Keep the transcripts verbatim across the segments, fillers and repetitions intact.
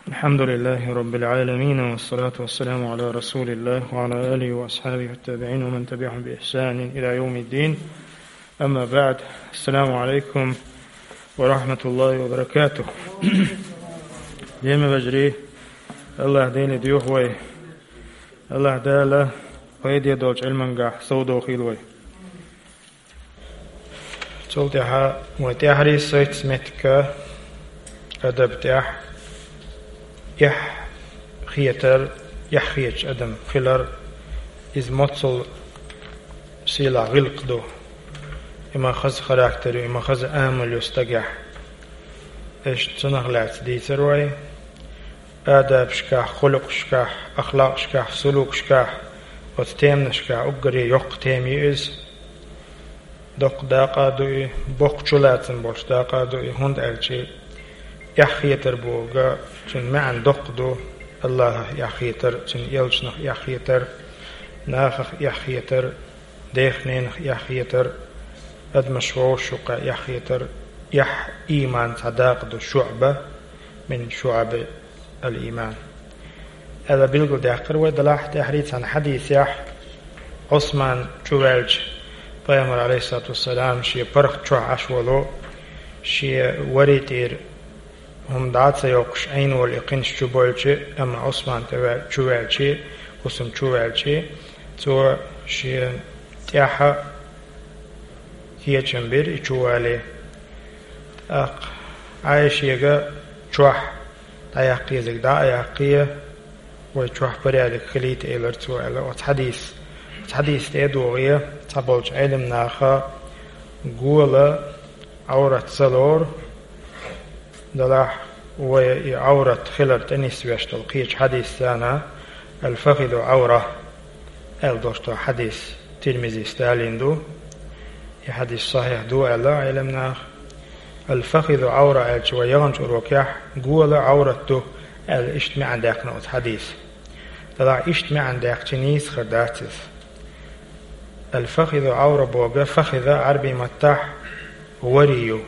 الحمد لله رب العالمين، والصلاة والسلام على رسول الله وعلى آله وأصحابه والتابعين ومن تبعهم بإحسان إلى يوم الدين. أما بعد، السلام عليكم ورحمة الله وبركاته. Динан вежарий, Аллахь Дала духьа вай, Аллахь Дала пайде долчу Ӏилманехь совдохийла вай. Цул тӀаьхьа вай тӀаьхьарий сайтас меттиг, адаб тӀехь, эхь хетар, эхь хеташ адам хилар, иза моццул сийлахь гӀиллакх ду. И ма хаза характер ю, и ма хаза амал ю стагехь. Иштта цунах лаьцна дийцар вай. Адабашкахь, хулукъашкахь, ахлакъашкахь, сулукашкахь, оцу теманашкахь уггаре йоккха тема ю иза. Доккха дакъа а ду и, боккха чулацам болуш дакъа а ду и, хӀунда аьлча эхь хетар бохург, цуьнан маьӀна доккха ду: Аллахьах эхь хетар, Цуьнан элчанах эхь хетар, нахах эхь хетар, дех-ненах эхь хетар, адамаш вовшашкахь эхь хетар. Эхь ийманан цхьа дакъа ду, шуӀба мин шуӀаби ал-ийман. Ала билгалдаьккхира вай делахь тӀаьхьарий цхьана хьадисехь, Ӏусман чу ваьлча, Пайхамар, Ӏалайхиссалату вассалам, шен паргӀат чохь Ӏаш волу, шен варий тӀера хӀума дӀа а ца йоккхуш, Ӏийна волу и кхинаш чу бойлча, амма Ӏусман тӀе ваь-, чу ваьлча, хӀусам чу ваьлча, цо шен тӀаьхьа кечам бира и чу вале. ТӀаккха Ӏайшега чохь дӀаяккха езарг дӀа а яккхий, вай чохь порядок хилийта, элира цо, аьлла оцу хьадис. Оцу хьадис тӀе а догӀий, цхьаболчу Ӏеламнаха гола Ӏаврат ца лору, делахь вай и Ӏаврат хилар тӀе нисвеш долу кхечу хьадисана, «Ал-фахиду Ӏавра», аьлла долуш долу хьадис Тирмизис далийна ду. И хьадис сахьихь ду аьлла Ӏеламнаха. «Ал-фахиду Ӏавра» аьлча, вай яханчу урокехь «гола Ӏаврат ду» аьлла иштта маьӀна даьккхина оцу хьадиса. Делахь иштта маьӀна даьккхича нийса хир дац иза. «Ал-фахиду Ӏавра» бохург, фахида Ӏарбийн маттахь варий ю,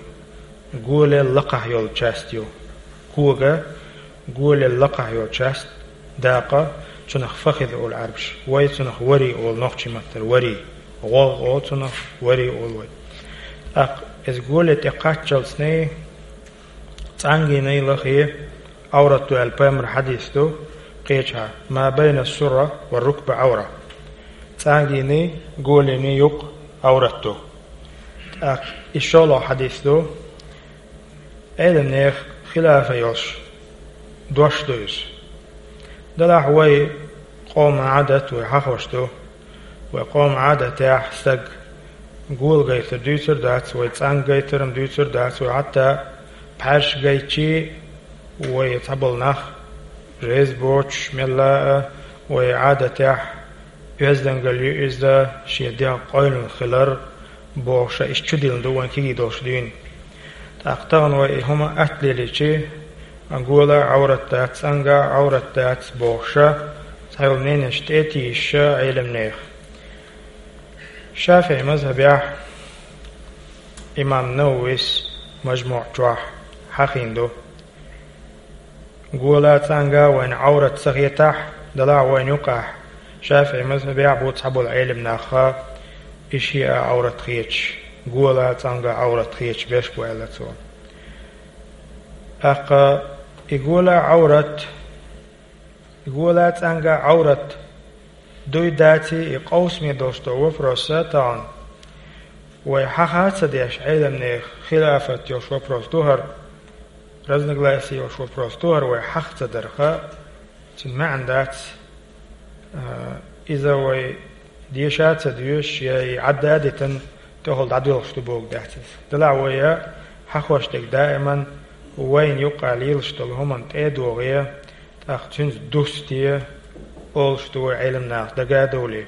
голел лакхахь йолу часть ю. Кога, голел лакхахь йолу часть, дакъа, цунах фахида олу Ӏарбаша. Вай цунах варий олу, нохчийн маттара варий. ГӀогӀ олу цунах, варий олу вай. ТӀаккха иза голе тӀе кхаччалцний, цӀангийний лахе Ӏаврат ду аьлла пайхамар хьадис ду, кхечахьа: «Ма байна сурра ва рукба Ӏавра». ЦӀангийний, голийний юкъ Ӏаврат ду. ТӀаккха и шолгӀа хьадис ду, Ӏеламнехан хилаф йолуш дош ду иза. Делахь вай къоман Ӏадат вай хьахош ду. Вай къоман Ӏадатехь стаг гола гайтар дуьйцур дац, вай цӀанга гайтарам дуьйцур дац, вай хьатта пхьаьрш гайтчий, вай цхьаболу нах, жез боцуш мелла а, вай Ӏадатехь оьздангалла ю иза, шен дегӀ къойлина хилар, бохуша, иштта чу диллина ду вайн кегий долуш дуьйна. ТӀаккха тахана вай и хӀума атта лелийчи, гола Ӏаврат дац, цӀанга Ӏаврат дац бохуша, цхьайолу мненеш тӀе а тийша Ӏеламнехан. ШафиӀи мазхьабехь имам Нававис МажмуӀ чохь хьахийна ду. Гола, цӀанга вайна Ӏаврат ца хетахь, делахь вайна юкъахь, ШафиӀи мазхьабехь бу цхьаболу Ӏеламнаха, и шиъ а Ӏаврат хеташ, гола, цӀанга Ӏаврат хеташ берш бу аьлла цо. ТӀаккха и гола Ӏаврат, и гола, цӀанга Ӏаврат дуй, даций, и къовсаме долуш долу вопроса тахана вай хьаха а ца деш, Ӏеламнехан хилафат йолуш вопрос ду хӀара, разногласие йолуш вопрос ду хӀара, вай хьаха ца дарха, цуьнан маьӀна дац, а, иза вай деша а ца доьшуш, я и Ӏадда а дитина, тӀехула дӀадоьлхуш ду бохург дац иза. Делахь вай хьахош дерг даиман вайна юкъа лелаш долу хӀуманна тӀе а догӀий, тӀаккха цуьнца дустий олуш ду вай Ӏеламнаха, дага а довлий.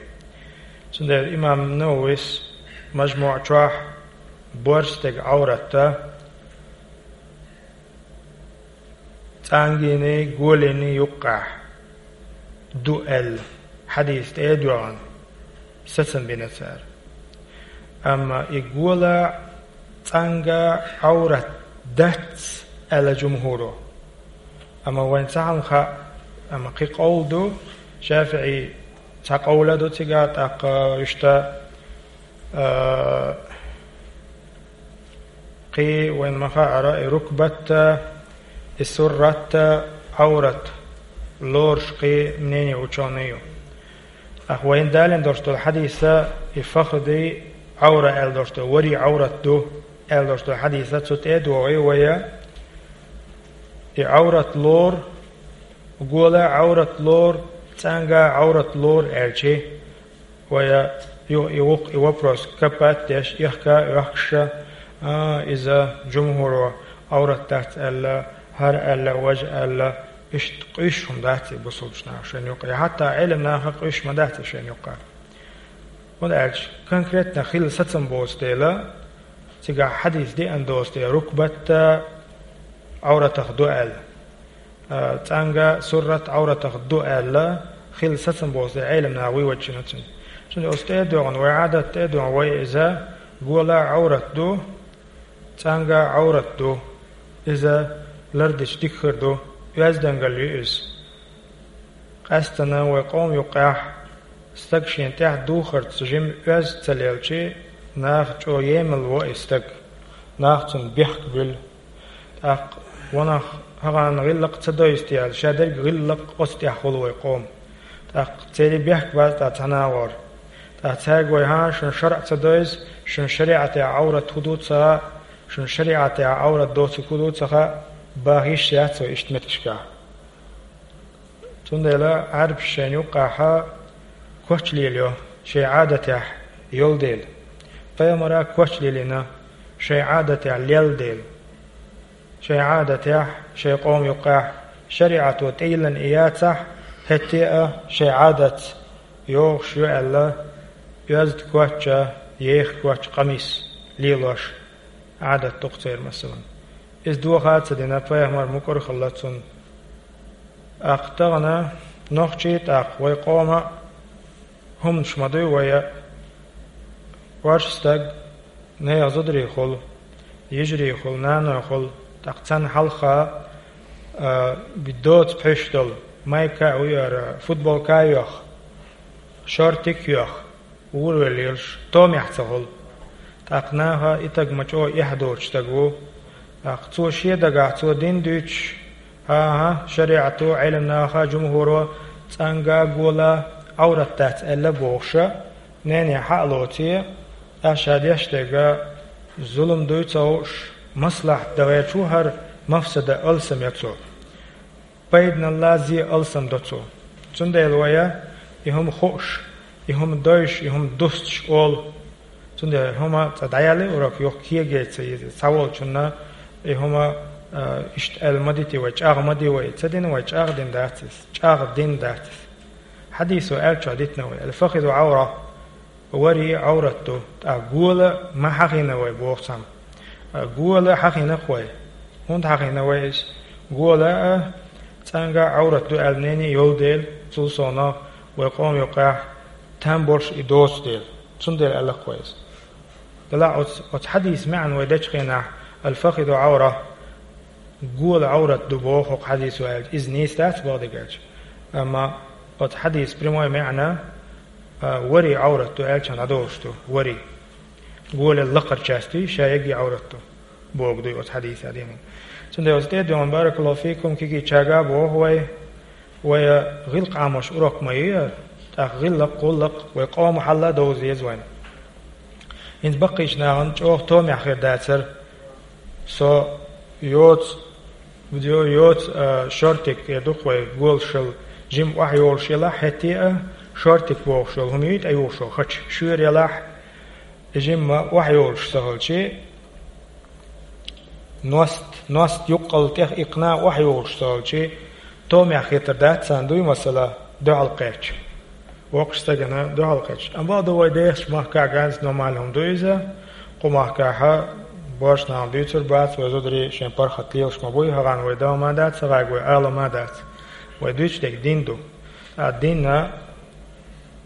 Цундела имам Нававис МажмуӀ чохь борша стеган Ӏаврат цӀангийний, голийний юккъехь ду аьлла, хьадис тӀе а доьгӀна, сацам бина цара. Амма и гола, цӀанга Ӏаврат дац аьлла жумхӀуро. Амма вайн цхьаьнга хаьа, амма кхин къовл ду, ШафиӀий цхьа къовла ду цигахь, тӀаккха иштта, а, кхин вайн ма хаьара, и рукбат а, и суррат а, Ӏаврат лоруш кхин мнение учёных ю. ТӀаккха вайна далийна долуш долу хьадиса, и фахзий Ӏавра аьлла долуш долу, варий Ӏаврат ду аьлла долуш долу хьадиса, цу тӀе а догӀий вай, и Ӏаврат лору, гола Ӏаврат лору, цӀанга Ӏаврат лору аьлчи, вай ю-, и вукх-, и вопрос капат деш, ихка а оьхкуш, а, иза жумхӀуро Ӏаврат дац аьлла, хӀара аьлла, важа аьлла, иштта къуьйсуш хӀума дац и бусулбачу наха шайна юккъе. Хьатта Ӏелам наха къуьйсуш ма дац и шайна юккъе. ХӀунда аьлча конкретно хилла сацам боцу дела, цигахь хьадис деана доцу дела, рукбат а Ӏавратах ду аьлла, а, цӀанга суррат Ӏавратах ду аьлла, хилла сацам боцу дела, Ӏелам наха вуй ваччина цуьнан. Цундела оцу тӀе а доьгӀна, вай Ӏадат тӀе а доьгӀна, вай иза гола Ӏаврат ду, цӀанга Ӏаврат ду, иза лардича дика хир ду, оьздангалла ю иза. Къаьсттина вай къоман юккъехь стаг шен тӀехь духарца жима оьзда ца лелчи, наха чӀогӀа емал во и стаг, нах цунна бехк буьллу. ТӀаккха ванах хӀагӀанна гӀиллакх ца дойзу те аьлла, ша дерг гӀиллакх оцу тӀехь хуьлу вай къоман. ТӀаккха церан бехк бац тӀаккха цхьана а гӀора. ТӀаккха цаьрга вай: «ХӀан, шуна шарӀа ца дойзу, шуна шариӀатехь Ӏаврат хӀун ду ца хаьа, шуна шариӀатехь Ӏаврат доцург хӀун ду ца хаьа», баха йиш яц вай иштта меттигашкахь. Цундела Ӏарбаша шайна юккъехь коч лелайо, шайн Ӏадатехь йолу дела. Пайхамара коч лелийна, шайн Ӏадатехь лелла дела. Шайн Ӏадатехь, шайн къоман юккъехь шариӀато тӀейиллина и яцахь, хӀетте а шайн Ӏадатца йогӀуш ю аьлла, оьзда коч а, еха коч а, къамис лелош Ӏадат ду-кх церан, масалан. Иза доха а ца дина, пайхамар мукӀар а хилла цунна. ТӀаккха тахана нохчий, тӀаккха вай къоман а хӀуманаш ма дуй вай а. Варш стаг, нехан зударий хуьлу, йижарий хуьлу, наной хуьлу, тӀаккха царна хьалха, а, доца пхьуьйш долу майка а, вуьйр а, футболка а йоьху, шортик а йоьху, ур а велла лелаш, томехь ца хуьлу. ТӀаккха наха и стаг ма чӀогӀа эхь доцуш стаг ву. ТӀаккха цо шен дагахь, цо дин дуьйцуш, хӀан-хӀа, шариӀато, Ӏелам наха, жумхӀуро цӀанга, гола Ӏаврат дац аьлла бохуша, нене хьа а лоций, ша деш дерг зулам дуй ца хууш, маслахьат дан гӀерташ ву хӀара, мафсада алсам йо цо. Пайданалла зе алсам до цо. Цундела вай и хӀума хууш, и хӀума дойуш, и хӀума дустуш олу. Цундела хӀума цкъа дӀаяллий урок, юха кегий ца йиза, цхьаволчунна и хӀума, а, иштта аьлла ма дитий вай, чӀагӀ ма ди вай. Ца дина вай, чӀагӀ дина дац иза, чӀагӀ дина дац иза. Хьадисо аьллачохь дитина вай: «Аль-фахизу Ӏавра». Варий Ӏаврат ду, тӀаккха гола ма хьахийна вай боху цхьамма. Гола хьахийна-кх вай. ХӀунда хьахийна вай иза? Гола а цӀанга Ӏаврат ду аьлла мнение йолу дела, цул совнаха вай къоман юккъехь там болуш и доцу дела. Цундела аьлла-кх вай иза. Делахь оцу, оцу хьадисан маьӀна вай дечу хенахь, «Аль-фахизу Ӏавра», гола Ӏаврат ду боху хӀокху хьадисо аьлча, иза нийса дац боху дерг аьлча. Амма оцу хьадисан прямой маьӀна, а, варий Ӏаврат ду аьлча дӀадолуш ду, варий. Голе лакхара часть дуй, ша ерриге Ӏаврат ду бохург дуй оцу хьадисехь дийна. Цундела оцу тӀе а доьгӀна, баракаллаху фикум, кегийчаьрга а боху вай, вай гӀиллакх Ӏамош урок ма ю, тӀаккха гӀиллакх, гӀуллакх вай къоман хьалла а довза деза вайна. ХӀинца баккхийчу нахана чӀогӀа томехь хир дацара, со йоцу, йо-, йоцу, а, шортик, э, ду-кх вай, голашал жима охьайолуш елахь, хӀетте а шортик бохуш йолу хӀума юй тӀеюхуш йолу хача, шуьйра елахь, и жимма охьайолуш ца хилчи, ност, ност юккъал тӀех иккхина охьайолуш ца хилчи, томехь хетар дац царна дуй масала, дуьхьал кхетча. Воккхачу стагана дуьхьал кхетча. Амма бакъду вай дехачу махкахь ганза нормально хӀума ду иза. Кху махкахь божаршна дуьйцур бац, вай зударий шайн паргӀат лелаш ма буй, хӀагӀан вай дан ма дац, хӀагӀайга вай ала ма дац. Вай дуьйцуш дерг дин ду. Ткъа динна,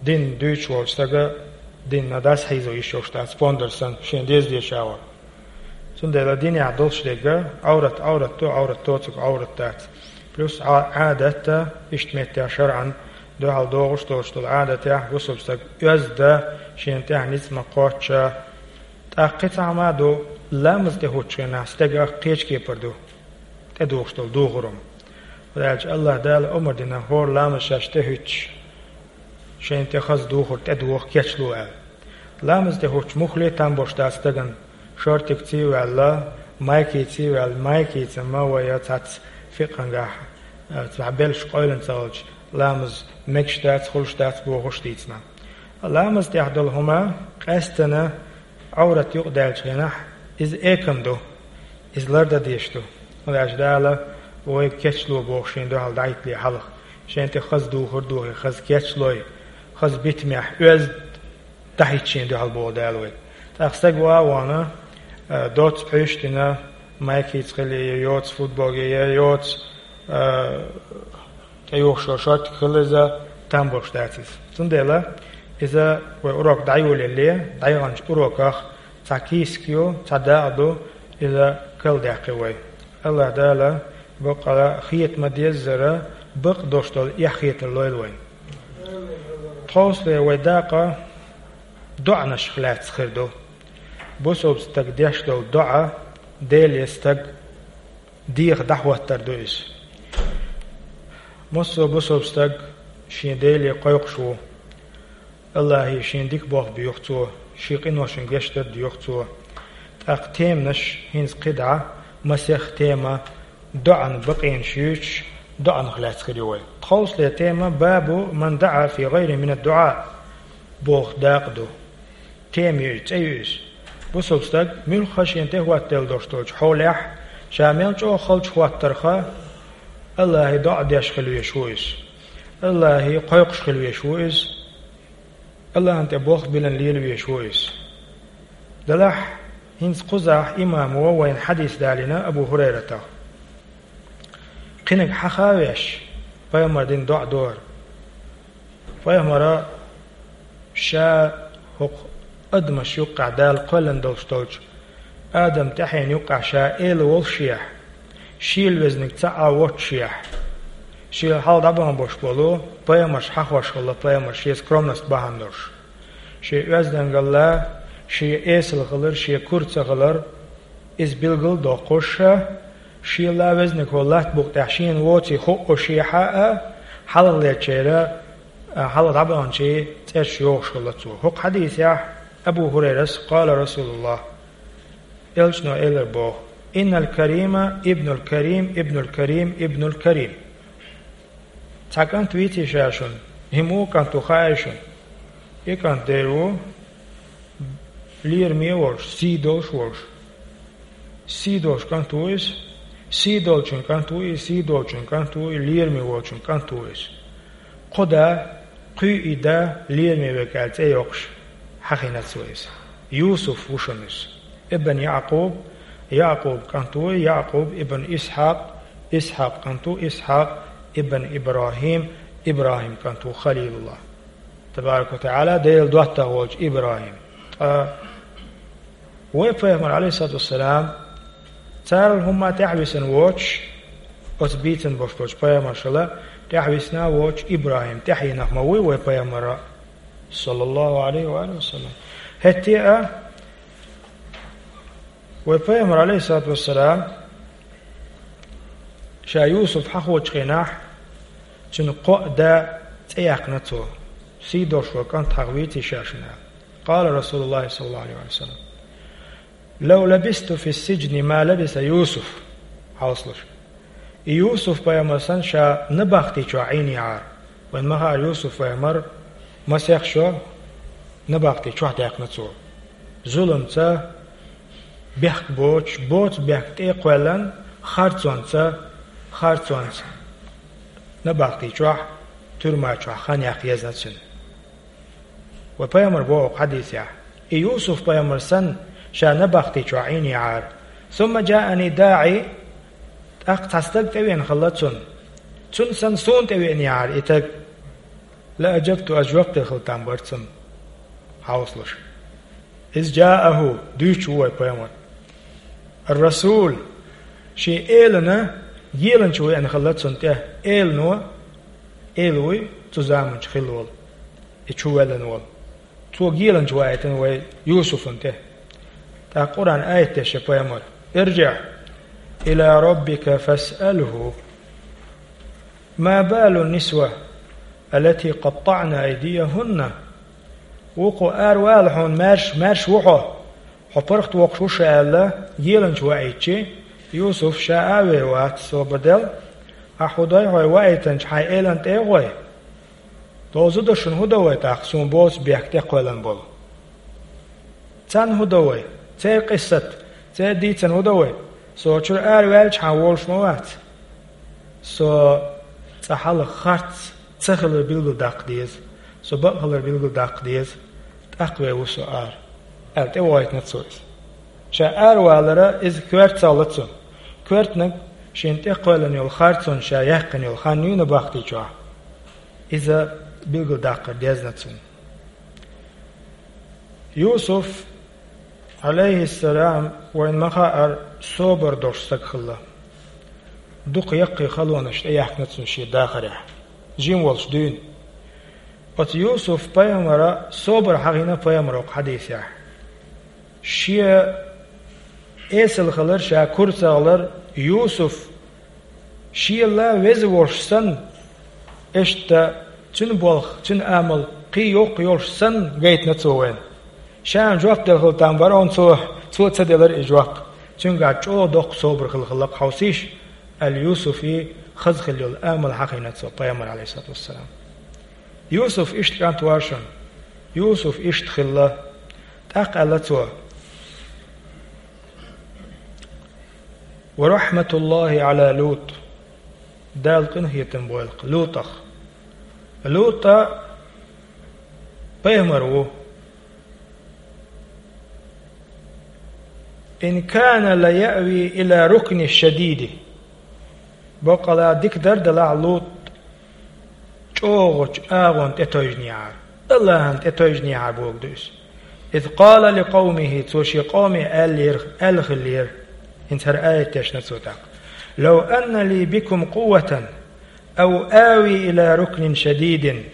дин дуьйцуш волчу стага динна дас хьийзо йиш йолуш дац, пондар санна, шен деза дешавар. Цундела динехь долуш дерг Ӏаврат, Ӏаврат ду, Ӏаврат доцург Ӏаврат дац. Плюс Ӏа-, Ӏадатта, иштта меттехь шарӀан дуьхьал догӀуш долуш долу Ӏадатехь бусулба стаг оьзда шена тӀехь ницкъ ма кхоччу. ТӀаккха кхин цхьа хӀума ду, ламаз тӀе хӀуттучу хенахь стегах кхечу кепара ду тӀедухуш долу духур хӀума. ХӀунда аьлча АллахӀ Дала омра дина хӀора ламаз шаьш тӀе хӀуьттуш, шайна тӀе хаза духур тӀедуха кечло аьлла. Ламаз тӀе хӀуттуш муххале а там болуш дац стагана, шортикций а ваьлла, майкиций а ваьлла, майкица ма вай цхьацца фикъхьангахь, а, цхьа белш къойлана ца хилча, ламаз мегаш дац, хуьлуш дац бохуш дийцина. Ламаз тӀехь долу хӀума къаьстина Ӏоврат юкъадаьллачу хенахь иза экам ду, иза лардан дезаш ду. ХӀунда аьлча Дала вайга кечло боху шена дуьхьал дӀахӀиттале хьалха. Шена тӀе хаза духур а духий, хаза кечлой, хаза битамехь оьзда дӀахӀитта шена дуьхьал боху Дала вайга. ТӀаккха стаг ван а вахана, а, доцца пхьуьйш а дина, майкица хила я йоцу футболе, я йоцу, а, тӀеюхуш йолу шортик хила иза, там болуш дац иза. Цундела иза вай урок дӀайолале, дӀаяханчу уроках цхьа кийсак ю, цхьа дакъа ду, иза карладаьккхи вай. АллахӀ Дала бакъала хета ма-деззара, бакъ долуш долу эхь хетар лойла вайна. Тховсале вай дакъа доӀанашах лаьцна хир ду. Бусулба стаг деш долу доӀа Деле стаг деха дӀахӀоттар ду иза. Массо а бусулба стаг шен Деле кхойкхуш ву. АллахӀе шен дика болх боьху цо, шен къиношна гечдар а доьху цо. ТӀаккха теманаш хӀинца кхидӀа, масех тема, доӀан бакъенаш юьйцуш, доӀанах лаьцна хир ю вай. Тховсале тема: «Бабу ман даӀа фи гӀайри мин ад-дуӀа» боху дакъа ду. Тема ю иза, цӀе ю иза. Бусулба стаг муьлхха шен тӀе хӀоттаделла долуш долчу хьолехь, ша мел чӀогӀа халчу хӀоттарха, АллахӀе доӀа деш хила везаш ву иза. АллахӀе кхойкхуш хила везаш ву иза. АллахӀан тӀе болх билан лела везаш ву иза. Делахь, хӀинца кхузахь имамо вайна хьадис далийна Абу ХӀурайратах. Кхиниг хьаха а веш, пайхамара дина доӀа ду хӀара. Пайхамара ша хӀокху адамаш юккъехь, Дала кхоьллина долуш долчу Адам тӀаьхьенан юккъехь ша эла волушехь, шийла везниг цхьа а воццушехь, шен хьалха дӀабахана болуш болу пайхамарш хьахош хилла, пайхамарш шен скромность бахьана долуш. Шен оьздангалла, шен эсала хилар, шен кура ца хилар, иза билгал а доккхуш, шен ла везниг хӀокху латта букъа тӀехь шена воций хууш шехьа а, хьалхалечеран, а, хьалха дӀабаханчийн цӀераш йохуш хилла цо. ХӀокху хьадисехь Абу ХӀурайрас: «Къала Расулуллах», элчано элира боху: «Иннал карима ибнул карим, ибнул карим, ибнул карим». Цхьа кӀант вийций ша шуна, хӀинца ву кӀант ву хаьий шуна? И кӀант дера ву лераме а волуш, сий долуш а волуш. Сий долуш кӀант ву иза, сий долчун кӀант ву и, сий долчун кӀант ву и, лераме волчун кӀант ву иза. Кху да, кхуьй и да, лераме верг аьлла цӀе йоккхуш, хьахийна цо иза. Юсуф ву шуна иза. Ибн Якъуб, Якъуб кӀант ву и, Якъуб ибн Исхьакъ, Исхьакъ кӀант ву, Исхьакъ ибн ИбрахӀим, ИбрахӀим кӀант ву Халилуллах. Табарак ва ТаӀала, Делан доттагӀа волчу ИбрахӀим. Ткъа вай пайхамар, Ӏалайхиссалату вассалам, царал хӀумма тӀаьхьависина воцуш, оцу бийцина болуш болчу пайхамаршала тӀаьхьависина а воцуш, ИбрахӀим тӀаьхьенах ма вуй вай пайхамара, саллаллаху Ӏалайхи ва алихи ва саллам. ХӀетте а вай пайхамар, Ӏалайхиссалату вассалам, ша Юсуф хьахочу хенахь, цуьнан кхоъ да цӀе яьккхина цо. Сий долуш ван кӀант хьаха вийций ша шуна? Къала Расулуллахи саллаллаху Ӏалайхи ва саллам: «Лав лабисту фи сиджни ма лабиса Юсуф». Хьовсалаш. И Юсуф пайхамар санна ша набахти чохь Ӏийниехьара. Вайн ма хаара Юсуф пайхамар масех шо набахти чохь даьккхина цо. Зуламца, бехк боцуш, боцу бехк тӀе а кхоьллан, харцонца, харцонца набахти чохь, туьрма чохь хан яккха езна цуьнан. Вай пайхамар боху хьадисехь: «И Юсуф пайхамар санна, ша набахти чохь Ӏийниехьара. Сумма джаани даӀи, тӀаккха цхьа стаг тӀевеана хилла цунна. Цунна санна суна тӀевеанехьара и стаг. Ла аджабту, ас жоп делла хила там бара цунна». Хьовсалаш. Из джааху, дуьйцуш ву вай пайхамар. Ар-Расул, шен элана геланча веана хилла цунна тӀе, элано, эла вуй цу заманчу хилла волу, и чу ваьллина волу. Цо геланча ваийтина вай Юсуфана тӀе. ТӀаккха Къуръан аят деш я пайхамар: «ارجع إلى ربك فاسأله ما بال النسوة التي قطعن أيديهن». Вукхо ара вала хьуна, маьрша, маьрша ву хьо, хьо паргӀат воккхуш ву ша аьлла, геланча ваийтича, Юсуф ша а вер вац, собар дел. Ахьа хӀун дой хьо, ваийтинчу хьайн элана тӀе а гӀой? Дозу до шуна хӀун до вай тӀаккха, суна боцу бехк тӀекхоьллина болу? Царна хӀун до вай? Церан къиссат, церан дийцина хӀун до вай? Со чуьра ара ваьлча хьан волуш ма вац. Со цкъа хьалха харц ца хилар билгалдаккха деза, со бакъ хилар билгалдаккха деза, тӀаккха вер ву со ара, аьлла тӀевойтина цо иза. Ша ара валара иза коьртах лаьцна. Коьртаниг шена тӀекхоьллина йолу харцонна ша яьккхина йолу хан юйна бахтийчохь, иза билгалдаккхар дезна цунна. Юсуф, Ӏалайхиссалам, вайна ма-хаъара, собар долуш стаг хилла. Дукха яккхий халонаш тӀеяьхкина цунна шен дахарехь, жима волуш дуьйна. Оцу Юсуф-пайхамара собар хьахийна пайхамара хьадисехь. Шен эсала хилар, ша кура ца хилар, Юсуф шел веза волуш санна, иштта цуьнан болх, цуьнан амал кхин йоккха йолуш санна гайтина цо вайна. Ша жоп делла хилла там бара, амма цо, цо ца делара и жоп. Цуьнгахь чӀогӀа доккха собар хилла хиллакх хьовсийша, аьлла, Юсуфан хаза хилла йолу амал хьахийна цо пайхамара, Ӏалайхиссалату вассалам. Юсуф иштта кӀант вара шуна. Юсуф иштта хилла. ТӀаккха аьлла цо: «ورحمة الله على لوط». Дала къинхетам бойла-кх Лутах. Лута пайхамар ву. «إن كان ليأوي إلى ركن شديد». Баккъала дика дара делахь Лут чӀогӀачу агӀонна тӀетайжинехьара, Аллахьана тӀетайжинехьара бохург ду иза. «إذ قال لقومه», цо шен къоме аьллера, аьлла хиллера, хӀинца хӀара аят дешна цо тӀаккха: «لو أن لي بكم قوة أو آوي إلى ركن شديد».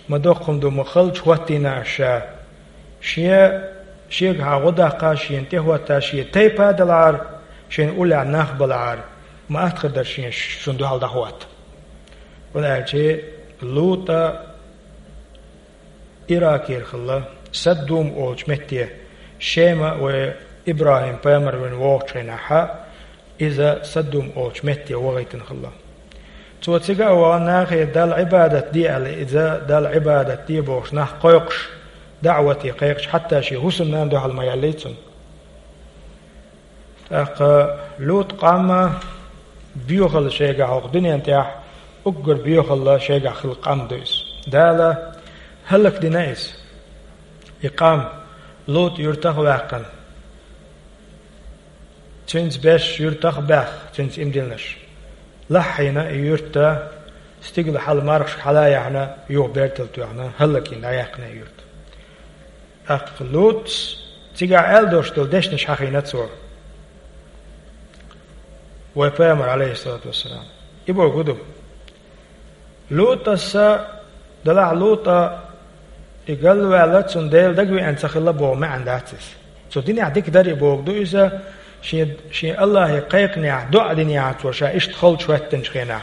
Ма доккха хӀума ду, ма халчу хӀоттийна аш ша. Шен, шегахьа гӀо даккха, шена тӀехӀотта, шен тайпа а далахьара, шен уллехь нах балахьара, ма атта хир дара шен шуна дуьхьал дӀахӀотта. ХӀунда аьлча Лута Иракера хилла, Саддум олучу метте, Шема вай ИбрахӀим-пайхамар вина вогӀучу хенахьа, иза Саддум олучу метте вахийтина хилла. Цо цига а вахана, нахе Далла Ӏибадат де аьлла, иза Далла Ӏибадат де бохуш нах кхойкхуш, даӀвате кхайкхаш, хьатта шен хӀусамнана дуьхьал ма яьллий цунна. ТӀаккха Лут къам боьхалла шайгахь хӀокху дуьнен тӀехь, уггар боьхалла шайгахь хилла къам ду иза. Дала хӀаллакдина иза. И къам Лут юьртах а ваьккхина, цуьнца беш юьртах а баьхна, цуьнца имдилнаш лахьийна и юьрта, стигала хьала мархаш хьала а яьхьна, юха бертал тоьхна, хӀаллакйина дӀаяьккхина и юьрта. ТӀаккха Лутас цигахь аьлла долуш долу дешнаш хьахийна цо, вай пайхамар, Ӏалайхиссалату вассалам. И бохург хӀун ду? Лутаса, делахь Лута и галваьлла, цунна Дела дагавеана ца хилла боху маьӀна дац иза. Цо динехь дика дара и бохург ду иза, шен, шен Аллахье кхайкхинехь, доӀа динехь цо ша иштта халчу хӀоьттинчу хенахь.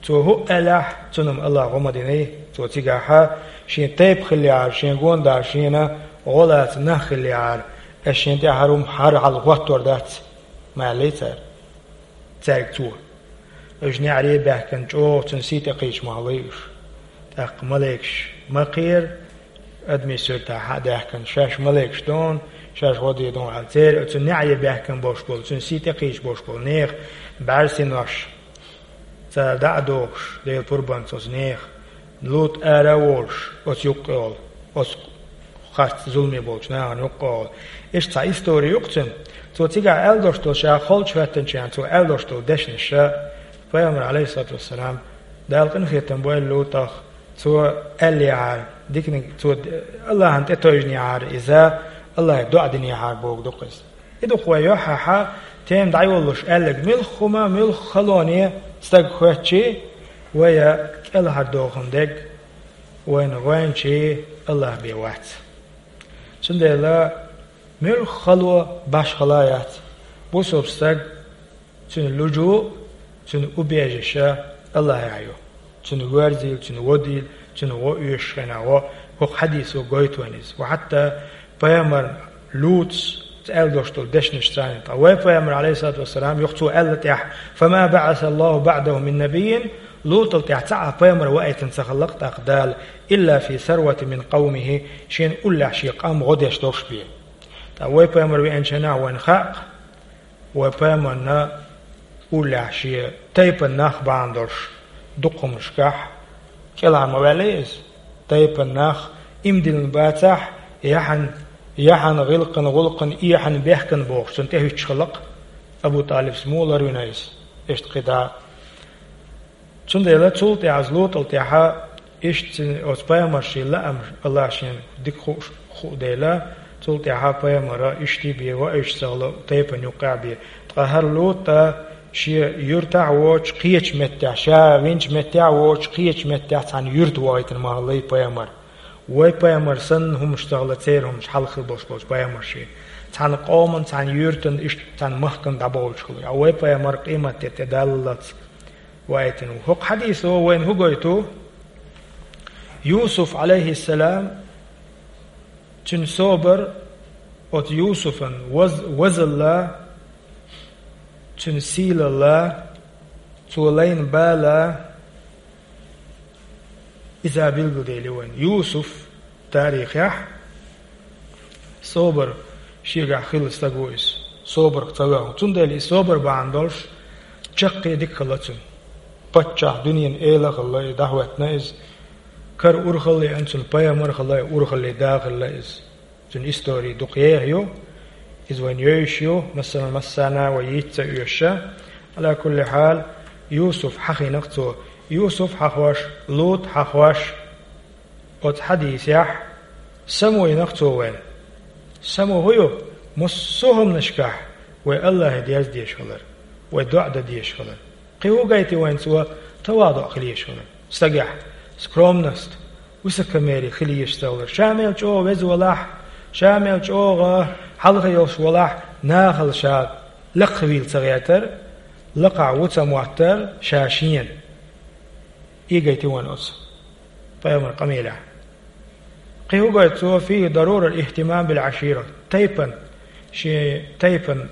Цо хӀуъа аьллехь, цунна-м Аллахьа гӀо ма диний, цо цигахьа, шен тайпа хиллехьара, шен гонда шена гӀо лаца нах хиллехьара, ас шен тӀехь хӀара хӀума хьара хьалха хӀоттор дац, ма аьллий цара. Цаьрга цо. Уьш неӀаре а баьхкина чӀогӀа цуьнан сий тӀекхийча ма хиллий уьш. ТӀаккха малайкаш ма кхера, адамийн суьртахь хьа а даьхкина, шаьш малайкаш ду, шаьш гӀо дийр ду аьлла, церан оцу неӀаре баьхкина болуш болу, цуьнан сий тӀекхийча болуш болу нехан бӀаьрсинош, цара дӀа а дохуш, Делан пурбанца оцу нехан, Лут ара а волуш, оцу юккъе волу, оцу харц зуламе болчу нахана юккъе волу. Иштта цхьа истори ю-кх цуьнан. Цо цигахь аьлла долуш долу, ша халчу хӀоьттинчу хенахь цо аьлла долуш долу дешнаш, пайхамар, Ӏалайхиссалату вассалам, Дала къинхетам бойла Лутах, цо аьллехьара, диканиг цо Аллахьана тӀетайжинехьара иза, Аллахье доӀа динехьара бохург ду-кх иза. И дукха вай юьхьӀаьхьа тема дӀайолалуш аьлларг, муьлхха хӀума, муьлхха халоне стаг хоьттуш, вай кӀелхьардохун дерг вайна гӀоьнчий АллахӀ бен вац. Цундела муьлхха хало башхала яц. Бусалба стаг, цуьнан лужуъ, цуьнан убежище АллахӀехь ю. Цуьнан верзийла, цуьнан водийла, цуьнан гӀо оьшуш хенахь гӀо, хӀокху хьадисо гойту вайна иза. Ва хьатта пайхамар ЛутӀас аьлла долуш долу дешнаш царна, ткъа вай пайхамар, Ӏалайхиссалату вассалам, юха цо аьлла тӀехь: «Фама баӀаса Аллаху баӀдаху мин набиййин», ЛутӀал тӀехь цхьа а пайхамар ваийтина ца хиллакх тӀаккха Дала, «илла фи сарватин мин къавмихи», шен уллехь шен къам гӀо деш долуш бен. Ткъа вай пайхамар веанчу хенахь вайна хаьа, вай пайхамарна уллехь шен тайпан нах бахьана долуш дукха хӀуманашкахь кӀелхьара ма ваьллий иза? Тайпан нах, ийман диллина бацахь, яхьан, яхьан гӀиллакхана, гӀуллакхана, эхьана, бехкана бохуш, цунна тӀехӀуьттуш хиллакх. Абу ТӀалибс муха ларвина иза? Иштта кхидӀа. Цундела цул тӀаьхьа, ЛутӀал тӀаьхьа, иштта цуьнан оцу пайхамаршна лаамаш АллахӀа шена дика хууш хуу дела, цул тӀаьхьа пайхамара иштта бен ваийтина ца хилла тайпана юккъехь бен. Ткъа хӀара ЛутӀа шен юьртахь а воцуш, кхечу меттехь, ша винчу меттехь а воцуш, кхечу меттехь цхьана юьрта вахийтина ма хиллий пайхамар. Вай пайхамар санна хӀуманаш ца хилла, церан хӀуманаш хьалха хилла болуш болчу пайхамаршна. Цхьана къоман, цхьана юьртан, иштта цхьана махкана дӀабовлуш хилла. Ткъа вай пайхамар къематде тӀедаллалц ваийтина ву. ХӀокху хьадисо вайна хӀун гойту? Юсуф, Ӏалайхиссалам, цуьнан собар, оцу Юсуфан ваз-, вазалла, цуьнан сийлалла, цо лайна бала, иза билгалдели вайна. Юсуф тарихехь собар шегахь хилла стаг ву иза. Собарх ца ваьхна. Цундела и собар бахьана долуш чаккхе дика хилла цуьнан. Паччахь, дуьненан эла а хилла, и дӀахӀоьттина иза. Кара урхалла а еана цуьнан, пайхамар а хилла, урхаллин да а хилла иза. Цуьнан истори дукха еха ю, иза вайна йовзуш ю, массанхьа массарна вай йийца ца оьшу. Ӏала кулли хьал, Юсуф хьахийнакх цо. Юсуф хьахош, ЛутӀ хьахош, оцу хьадисехь само йинакх цо вайна. Само хӀун ю? Массо а хӀуманашкахь вай АллахӀе дерза дезаш хилар, вай доӀа дан дезаш хилар. Кхин хӀун гайти вайна цо? Таваду хила езаш хилар. Стагехь скромность, высокомерие хила езаш ца хилар. Ша мел чӀогӀа веза валахь, ша мел чӀогӀа хьалха йолуш валахь, нахала ша лакхавийла ца гӀертар, лакхахь ву ца моттар, ша шена. И гайти вайна оцу пайхамар къамелехь. Кхин хӀун гойту цо? Фийхи дарурат ихтимам бил Ӏашира. Тайпан, шен тайпан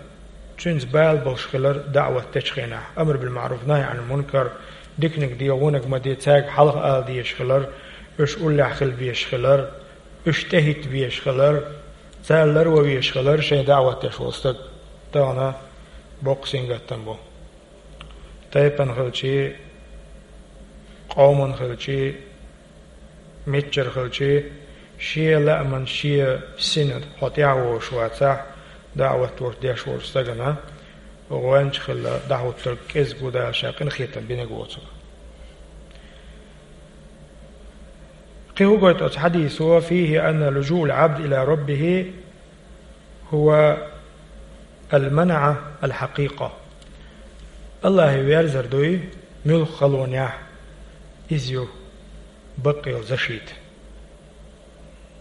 цуьнца бала болуш хилар даӀват дечу хенахь. Амр бил маъруф, нахьи Ӏанил мункар, диканиг де, вониг ма де, цаьрга хьалха ала дезаш хилар, уьш уллехь хила безаш хилар, уьш тӀехӀитта безаш хилар, царна ларван везаш хилар шайн даӀват деш волу стаг. Тахана боккха сингаттам бу. Тайпана хилчий, къомана хилчий, миччара хилчий, шен лааман, шен сина хьо тӀаьхьавозуш вацахь, даӀват вуьш деш волчу стагана гӀоьнча хилла дӀахӀуттург кӀезиг ву Дала ша къинхетам бинарг воцург. Кхин хӀун гойту оцу хьадисо? Фийхи анна лужуъал Ӏабд ила раббихи хӀува ал-манаъа ал-хьакъикъа. АллахӀе верзар дуй, муьлхха халонехь, иза ю бакъ йолу защита.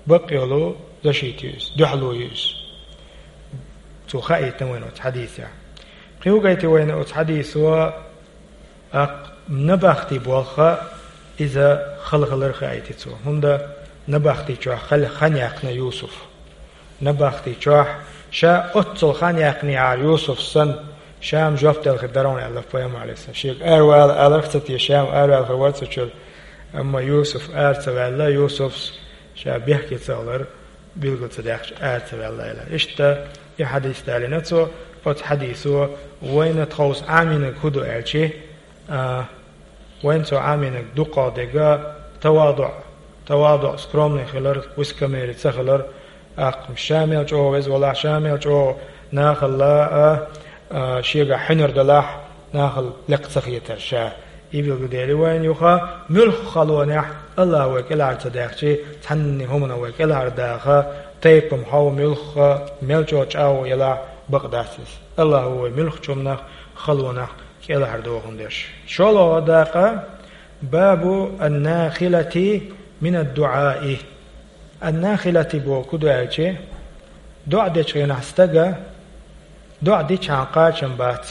Бакъ йолу защита ю иза, дуьхьало ю иза. Цо хаийтина вайна оцу хьадисехь. Кхин хӀун гайти вайна оцу хьадисо? ТӀаккха набахти болх иза хала хилар хаийти цо. ХӀунда набахти чохь хала хан яьккхина Юсуф. Набахти чохь ша оццул хан яьккхинехьара Юсуф санна, ша-м жоп делла хир дара хьуна аьлла пайхамар Ӏалайхиссалам. Шега аравала аларх ца те, ша-м араваьлла хир вара цу чуьра. Амма Юсуф ара ца ваьлла, Юсуфс ша бехке ца хилар билгал ца даьккхича ара ца ваьлла аьлла. Иштта и хьадис далийна цо, оцу хьадисо вайна тховса Ӏамийнарг хӀун ду аьлчи, а, вайна цо Ӏамийнарг дуккха дерг таваду, таваду, скромный хилар, высокомерие ца хилар, тӀаккха ша мел чӀогӀа веза валахь, ша мел чӀогӀа нахала а, а, шегахь хьуьнар далахь, нахала лекха ца хетар ша. И билгалдели вайна юха, муьлхха халонехь АллахӀ вай кӀелхьара ца даьхчи, цхьанне хӀумано вай кӀелхьара даха, тайпа-м хьо муьлхха, мел чӀогӀа чӀагӀо елахь, Бакъ дац иза. АллахӀа ву вай муьлххачу хӀуманах, халонах кӀелхьардохун деш. ШолгӀа дакъа, бабу ан-нахилати мин ад-дуӀаи. Ан-нахилати бохург хӀун ду аьлча, доӀа дечу хенахь стага, доӀа дичхьана кхачам бац.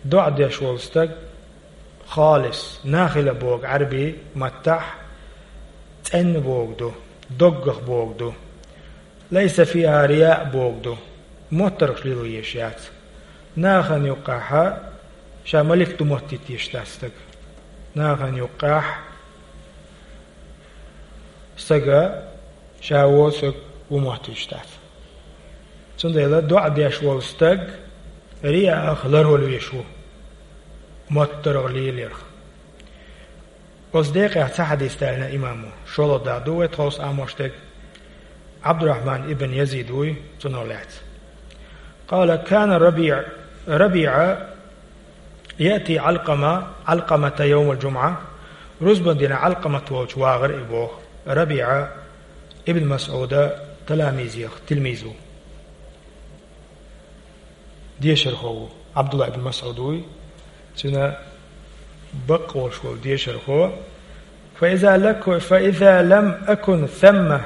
ДоӀа деш волу стаг, халис, нахила бохург Ӏаьрби маттахь цӀена бохург ду, доггах бохург ду. Лайса фиха рияъ бохург ду. МоттаргӀаш лело езаш яц. Нахана юккъехь ша малик ду моттийта езаш дац стаг. Нахана юккъехь стага ша ву саг ву моттуьйтуш дац. Цундела доӀа деш волу стаг рияъах ларвала веш ву, моттаргӀа лелорах. Оцу декъехь цхьа хьадис даьлла имамо, шолгӀа дакъа ду вай тховса Ӏамош дерг, Ӏабдурахьман ибн Язид вуй, цунах лаьцна. Къала: «Кана Рабиъ, Рабиъа яъти Ӏалкъама, Ӏалкъамата йовмал-джумӀа». Рузбан дийнахь Ӏалкъамат волчу вагӀара и боху. Рабиъа Ибн МасӀуда таламизех тилмиз ву. Дешархо ву. Ӏабдулла ибн МасӀуд вуй. Цуьнан бакъ волуш волу дешархо. «Фа иза лаку-, фа иза лам акун самма,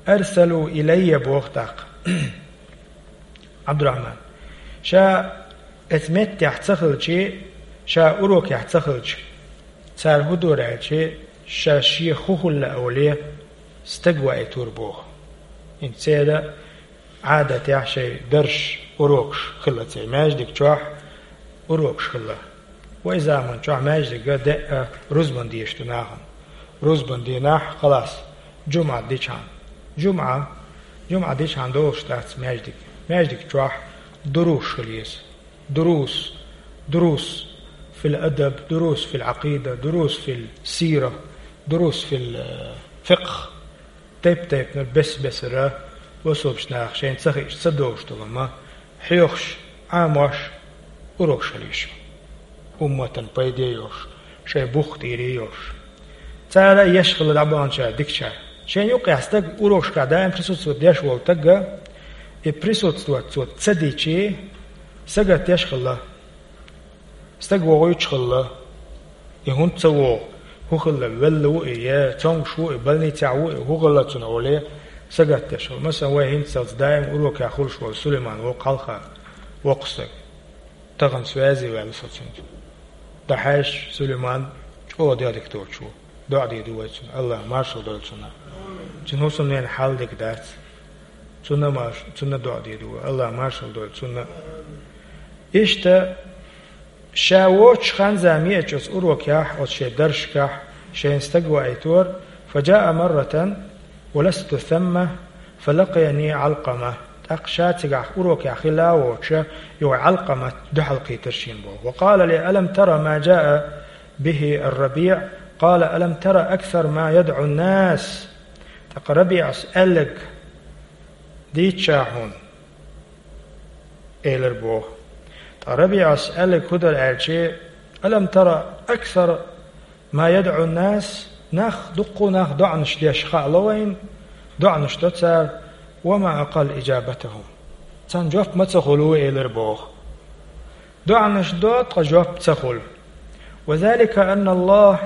арсалу илайя», боху тӀаккха. Ӏабдурахьман, ша эцу меттехь ца хилчи, ша урокехь ца хилча, цара хӀун дора аьлчи, ша шен хӀун хилла оле, стаг ваийтур боху. ХӀинца церан Ӏадатехь шайн дарш, урокаш хилла церан маьждиг чохь, урокаш хилла. Вай заман чохь маьждига деа рузбан деш ду нахана. Рузбан дийнахь, халас, жумӀа дичхьана. ЖумӀа, жумӀа дичхьана долуш дац маьждиг. Маьждиг чохь дурусаш хила еза. Дурус, дурус фил адаб, дурус фил Ӏакъида, дурус фил сира, дурус фил, э, фикъх. Тайп-тайпанара бес-бесара бусалба наха шайна ца хиъча ца догӀуш долу ма, хьоьхуш, Ӏамош, урокаш хила еза. Умматан пайде йолуш, шайн бух тӀера йолуш. Цара еш хилла дӀабаханчара дикачара. Шайна юккъехь стаг урокашкахь даим присутствовать деш волу стага, и присутствовать цо ца дичи, сагатдеш хилла. Стаг вогӀуьйтуш хилла, и хӀунда ца вогӀу, хӀун хилла, велла ву и, я цомгуш ву и, больницехь ву и, хӀун хилла цунна оле, сагатдеш хилла. Масалан, вай хӀинццалц даим урокехь хуьлуш волу Сулайман воккха хьалха, воккха стаг. Тахана связи ваьлла со цуьнца. ДӀахьаьжча, Сулайман чӀогӀа дегӀ дика доцуш ву. ДоӀа дийр ду вай цунна, АллахӀа маршалла дойла цунна. Цуьнан хӀусамненан хьал дика дац. Цунна марш-, цунна доӀа дийр ду вай, АллахӀа маршалла дойла цунна. Иштта, ша воцучу хан-зама еача оцу урокехь, оцу шайн даршкахь, шайна стаг ваийтора, фа жаа марратан, ва ласту самма, фа лакъияни Ӏалкъама. ТӀаккха ша цигахь урокехь хилла а воцуша, юха Ӏалкъамат дуьхьал кхийтира шена боху. Ва къала ли: «Алам тара ма жаа бихи ар-РабиӀ?» Къала: «Алам тара аксар ма ядӀу ан-нас?» ТӀаккха РабиӀас аьлларг дийцича хьуна, элира боху. Ткъа РабиӀас аьлларг хӀун дара аьлчи: «Алам тара аксар ма ядӀу ан-нас», нах, дуккха а нах доӀанаш деш хаало вайна, доӀанаш до цара, «ва ма акъалла ижабатахум». Царна жоп ма ца хуьлу, элира боху. ДоӀанаш до, ткъа жоп ца хуьлу. «Ва залика анна Аллах»,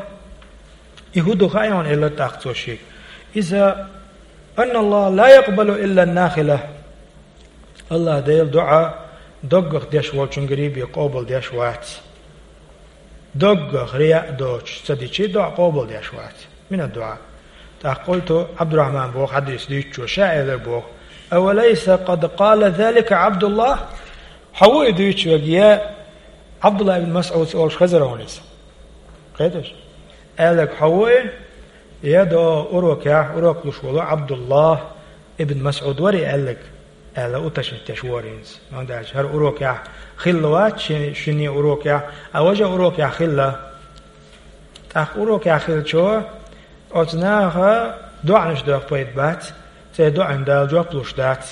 и хӀун ду хаьий хьуна, элира тӀаккха цо шега. Иза: «Анна Аллах ла якъбалу илла ан-нахила». АллахӀ Дела доӀа доггах деш волчуьнгарий бен къобалдеш вац. Доггах рияъ доцуш ца дичи, доӀа къобалдеш вац. Мин ад-дуӀа. ТӀаккха къулту, Ӏабдурахьман боху хьадис дуьйцучо, ша элира боху: «Авалайса къад къала залика Ӏабдуллах?» Хьо ву и дуьйцуш верг, я Ӏабдуллах ибн МасӀудс олуш хезара хьуна иза? Кхеташ? Аьлларг хьо ву и, я до урокехь, урок луш волу Ӏабдуллах ибн МасӀуд вара и аьлларг? Аьлла уточнить деш вара хӀинца. ХӀунда аьлча хӀара урокехь хилла вац ши-, шинне урокехь, а важа урокехь хилла. ТӀаккха урокехь хилчо, оцу наха доӀанаш доху пайда бац, церан доӀанна Дала жоп луш дац.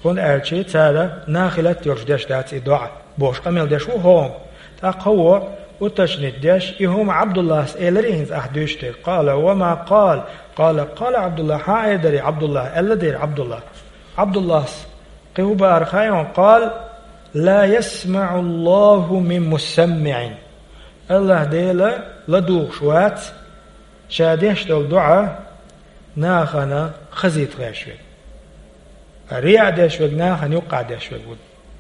ХӀунда аьлча цара нахилат йолуш деш дац и доӀа, бохуш къамел деш ву хӀокхо. ТӀаккха хӀокхо уточнить деш, и хӀума Ӏабдуллас элира хӀинца ахь дуьйцуш дерг. Къала: «Ва ма къала?» Къала: «Къала Ӏабдуллах». Хьан эр дара Ӏабдуллах, аьлла дера Ӏабдуллах. Ӏабдуллас Кхин хӀун баар хьайна, къала: «Ла ясмаӀу Аллаху мин мусаммиӀин». АллахӀ Дела ладугӀуш вац ша деш долу доӀа нахана хазийта гӀерташ верг. Риаъ деш верг нахана юккъехь деш верг ву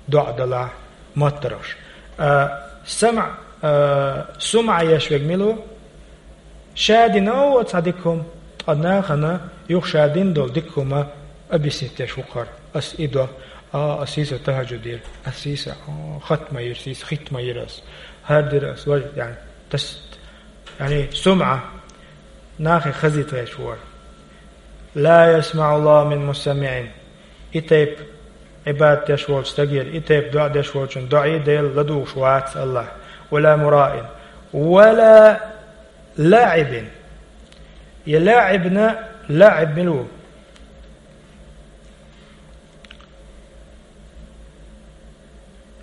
доӀа делахь моттаргӀаш. А, самӀ, а, сумӀа еш верг мила ву? Ша дина а ву цхьа дика хӀума, ткъа нахана юха ша дина долу дика хӀума объяснить деш ву хӀара. Ас и до, а, ас йийса тахӀажжуд йира, ас йийса, а, хатма йира, ас йийса хитма йира ас, хӀара дира ас, вай, яъни, тас, яъни, сумӀа, нахе хазийта гӀерташ вара. «Ла ясмаӀу Аллаху мин мусаммиӀин». И тайпа Ӏибадат деш волчу стагера, и тайпа доӀа деш волчун доӀа Дела ладугӀуш вац АллахӀ. «Ва ла мураин, ва ла лаӀибин». Я лаӀибна, лаӀиб мила ву?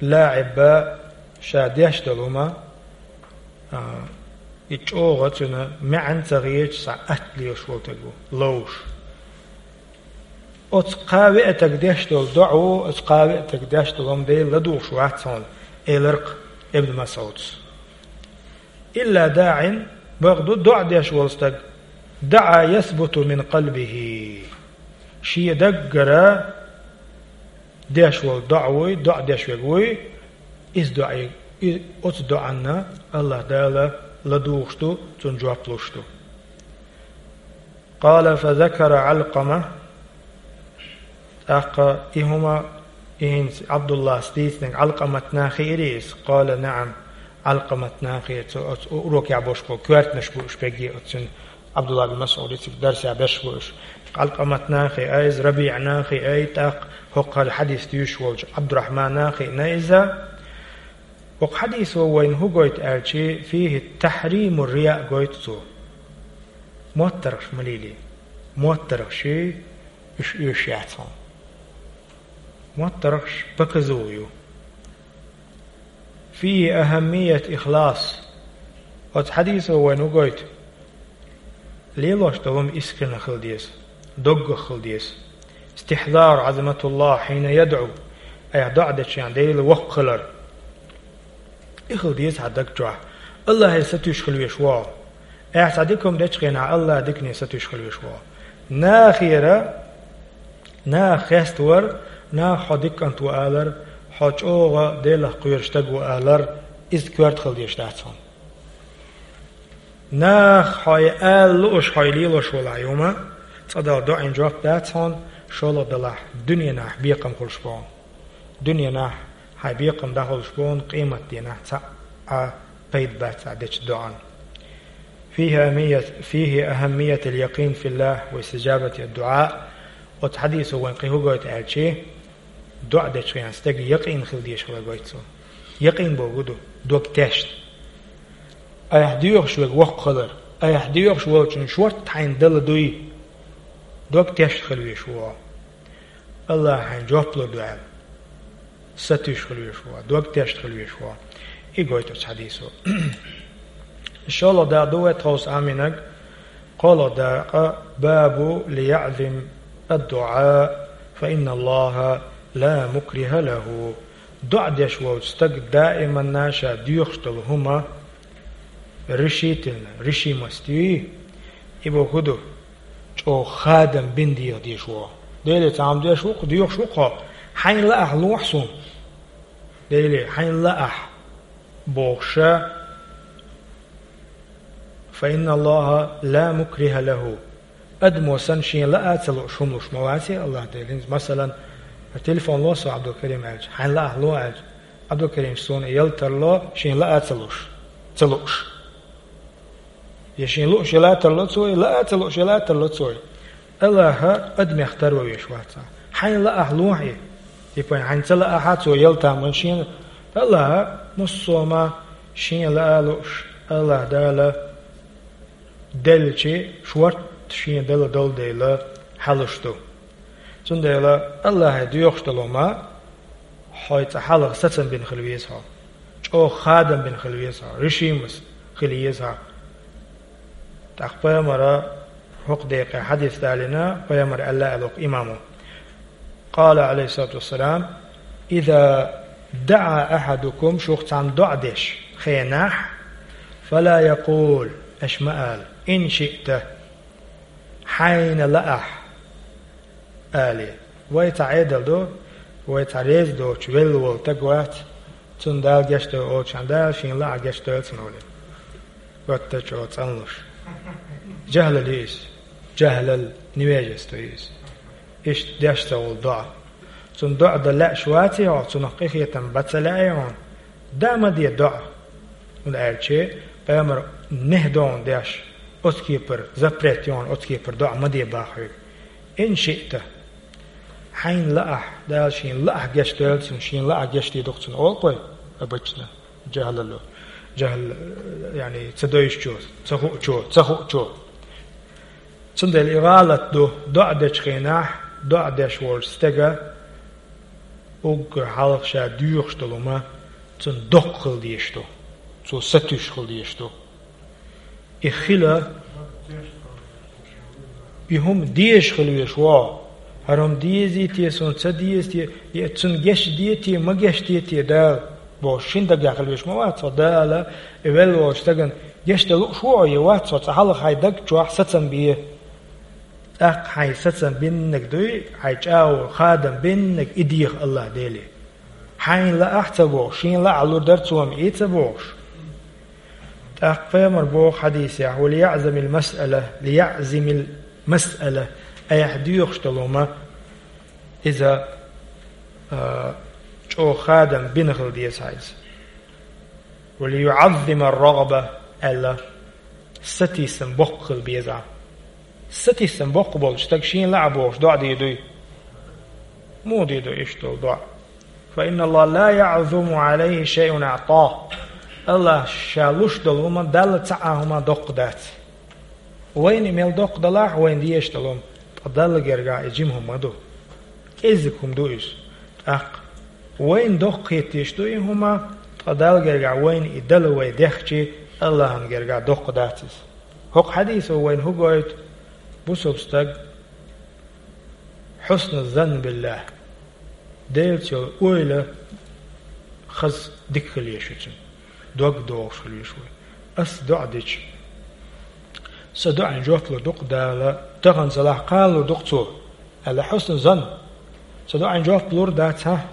ЛаӀиб ша деш долу хӀума, а, и чӀогӀа цуьнан маьӀна ца хеташ, цхьа атта лелаш волу стаг ву, ловш. Оцу кхаа веа стага деш долу доӀа ву, оцу кхаа веа стага деш долу хӀума Дела ладугӀуш вац хьуна, элира-кх Ибн МасӀуда. «Илла даӀин», бакъду, доӀа деш волу стаг, «даӀа ясбуту мин къалбихи». Шен даггара деш волу доӀа вуй, доӀа деш верг вуй, иза доӀа, и, оцу доӀанна АллахӀ Дала ладугӀуш ду, цунна жоп луш ду. Къала фа закара Ӏалкъама. ТӀаккха и хӀума, и хӀинца Ӏабдуллас дийцинарг Ӏалкъаматна хиира иза? Къала наӀам. Ӏалкъаматна хиира, цо оцу урокехь болуш болу коьртанаш бу уьш берриге, оцу цуьнан Ӏабдулла бин МасӀудица дарсехь берш бу уьш. Ӏалкъаматна хиира иза, РабиӀна хиира, тӀаккха хӀокху хьадис дуьйцуш волчу Ӏабдурахьманна хиира иза. ХӀокху хьадисо вайна хӀун гойту аьлча, фихи тахьриму риаъ гойту цо. МоттаргӀаш ма лелий. МоттаргӀаш уьш оьшуш яц хьуна. МоттаргӀаш показуха ю. Фихи ахьаммият ихлас. Оцу хьадисо вайна хӀун гойту? Лелош долу хӀума искренне хила деза, доггах хила деза. Истихьзар Ӏазаматуллахь хьийна ядӀу, айхьа доӀа дечу хенахь Дела воккха хилар. И хила деза хьан даг чохь. АллахӀе сатуьйсуш хила везаш ву хьо. Айхьа цхьа дика хӀума дечу хенахь АллахӀ дикане сатуьйсуш хила везаш ву хьо. Нахера, наха хеставар, наха хьо дика кӀант ву алар, хьо чӀогӀа Делах кхоьруш стаг ву алар, иза коьрта хила дезаш дац хьуна. Наха хьо ала лууш, хьо лелош волу хьан хӀума, цкъа Далла доӀина жоп дац хьуна, шолгӀа делахь дуьненахь бекхам хуьлуш бу хьуна. Дуьненахь хьайн бекхам дӀахуьлуш бу хьуна, къематдийнахь цхьа а пайда бац хьан дечу доӀан. Фихи ахьаммият, фихи ахьаммиятул якъин филлахь ва истиджабати дуӀа. Оцу хьадисо вайн кхин хӀун гойту аьлча, доӀа дечу хенахь стеган якъин хила дезаш хилар гойту цо. Якъин бохург ду, дог тешна. Айхьа доьхуш верг воккха хилар, айхьа доьхуш волчун шорта хьайна дала дуй, дог тешна хила везаш ву хьо. АллахӀа хьайна жоп лур ду аьлла, сатуьйсуш хила везаш ву хьо, дог тешна хила везаш ву хьо. И гойту оцу хьадисо. ШолгӀа дакъа ду вай тховса Ӏамийнарг, кхоалгӀа дакъа: «Бабу лияъзим ад-дуӀа, фа инна Аллаха ла мукриха лаху». ДоӀа деш волчу стага даиманна ша доьхуш долу хӀума решительно, решимость юй, и бохург ду, чӀогӀа хадам бина деха дезаш ву хьо. Деле цхьа хӀума деш ву-кх, доьхуш ву-кх хьо, хьайна лаахь лохьа суна. Деле, хьайна лаахь, бохуш, фа инна Аллаха ла мукриха лаху. Адамо санна шен лаа ца лууш хӀума луш ма вац и АллахӀ Дела. ХӀинца, масалан, телефон ло со, Ӏабдулкарим, аьлча, хьайна лаахь ло аьлча, Ӏабдулкарим, суна ял тарло, шен лаа ца луш, ца лууш. Я шен лууш яла тарло цо, я лаа ца лууш яла тарло цо. АллахӀа адамех тарван веш вац. Хьайна лаахь лохьа и. Типа, хьайна ца лаахь а цо ял таман шена. АллахӀа муссо а ма шен лаа лууш, АллахӀ Дала делча, шорта шен дала долу дела хьалуш ду. Цундела АллахӀе доьхуш долу хӀума, хьо цкъа хьалха сацам бина хила веза хьо. ЧӀогӀа хадам бина хила веза хьо. Решимость хила еза хьо. ТӀаккха пайхамара хӀокху декъе хьадис далийна, пайхамара аьлла аьлла хӀокху имамо: قال عليه الصلاة والسلام: إذا دعا أحدكم, шух цхьанна доӀа деш хенахь, فلا يقل, аша ма ала, إن شئت, хьайна лаахь, ала. Вай цхьа Ӏедал ду, вай цхьа реза доцуш велла волу стаг вац, цунна Дала гечдойла олучхьана, Дала шена лаахь гечдойла цунна олий. Гуттар а чӀогӀа цӀанлуш. Жахьлал ю иза. Жахьлал, невежество ю иза. Иштта деш ца волу доӀа. Цунна доӀа дан лаьаш вацахь хьо, цунах къинхетам бан ца лаьий хьуна, дан ма де доӀа. ХӀунда аьлча пайхамара нахьйи ду хьуна деш, оцу кепара запрет ю хьуна, оцу кепара доӀа ма де боху хьоьга. إن شئت. Хьайна лаахь, Дала шена лаахь гечдойла цунна, шена лаахь гечдийр ду-кх цунна олу-кх вай обычно. Жахьлало. Жахьл, яъни, ца дойчу, ца хуучу, ца хуучу. Цундела и гӀалат ду, доӀа дечу хенахь, доӀа деш волчу стеган уггар хьалха ша доьхуш долу хӀума цунна доккха хила дезаш ду, цо сатуьйсуш хила дезаш ду. И хила, и хӀума дезаш хила везаш ву. ХӀара хӀума дезий те, суна ца деза те, я цунна гечде те, ма гечде те Дала бохуш, шина дагахь хила везаш ма вац хьо. Дала и велла волчу стагана гечдан лууш ву хьо, я вац хьо, цкъа хьалха хьайн даг чохь сацам бе. ТӀаккха хьайн сацам биннарг дуй, хьайн чӀагӀо, хадам биннарг и деха АллахӀ Деле. Хьайна лаахь ца бохуш, шена лаахь лур дара цо-м и ца бохуш. ТӀаккха пайхамара боху хьадисехь: وليعزم المسألة، ليعزم المسألة, айхьа доьхуш долу хӀума иза, а, чӀогӀа хадам бина хила деза хьайца. وليعظم الرغبة, аьлла, сатийсам боккха хила беза. Сатийсам боккха болчу стага шена лаахь бохуш доӀа дийр дуй? Муха дийр ду иштта долу доӀа? فإن الله لا يعظم عليه شيء أعطاه. АллахӀа ша луш долу хӀума Далла цхьа а хӀума доккха дац. Вайна и мел доккха далахь, вайна дезаш долу хӀума, ткъа Далла гергахь и жима хӀума ма ду. КӀеззиг хӀума ду иза. ТӀаккха вайна доккха хеташ ду и хӀума, ткъа Далла гергахь вайна и дала вай дехча, АллахӀан гергахь доккха дац иза. ХӀокху хьадисо вайна хӀун гойту? Бусалба стаг хьусну занн биллахӀ, Делаца йолу ойла хаза дика хила езаш ю цуьнан, дог догӀуш хила везаш ву. Ас доӀа дича, сан доӀин жоп лур ду-кх Дала, тахана ца лахь кхана лур ду-кх Цо, аьлла, хьусну занн. Сан доӀин жоп лур дац, хьа?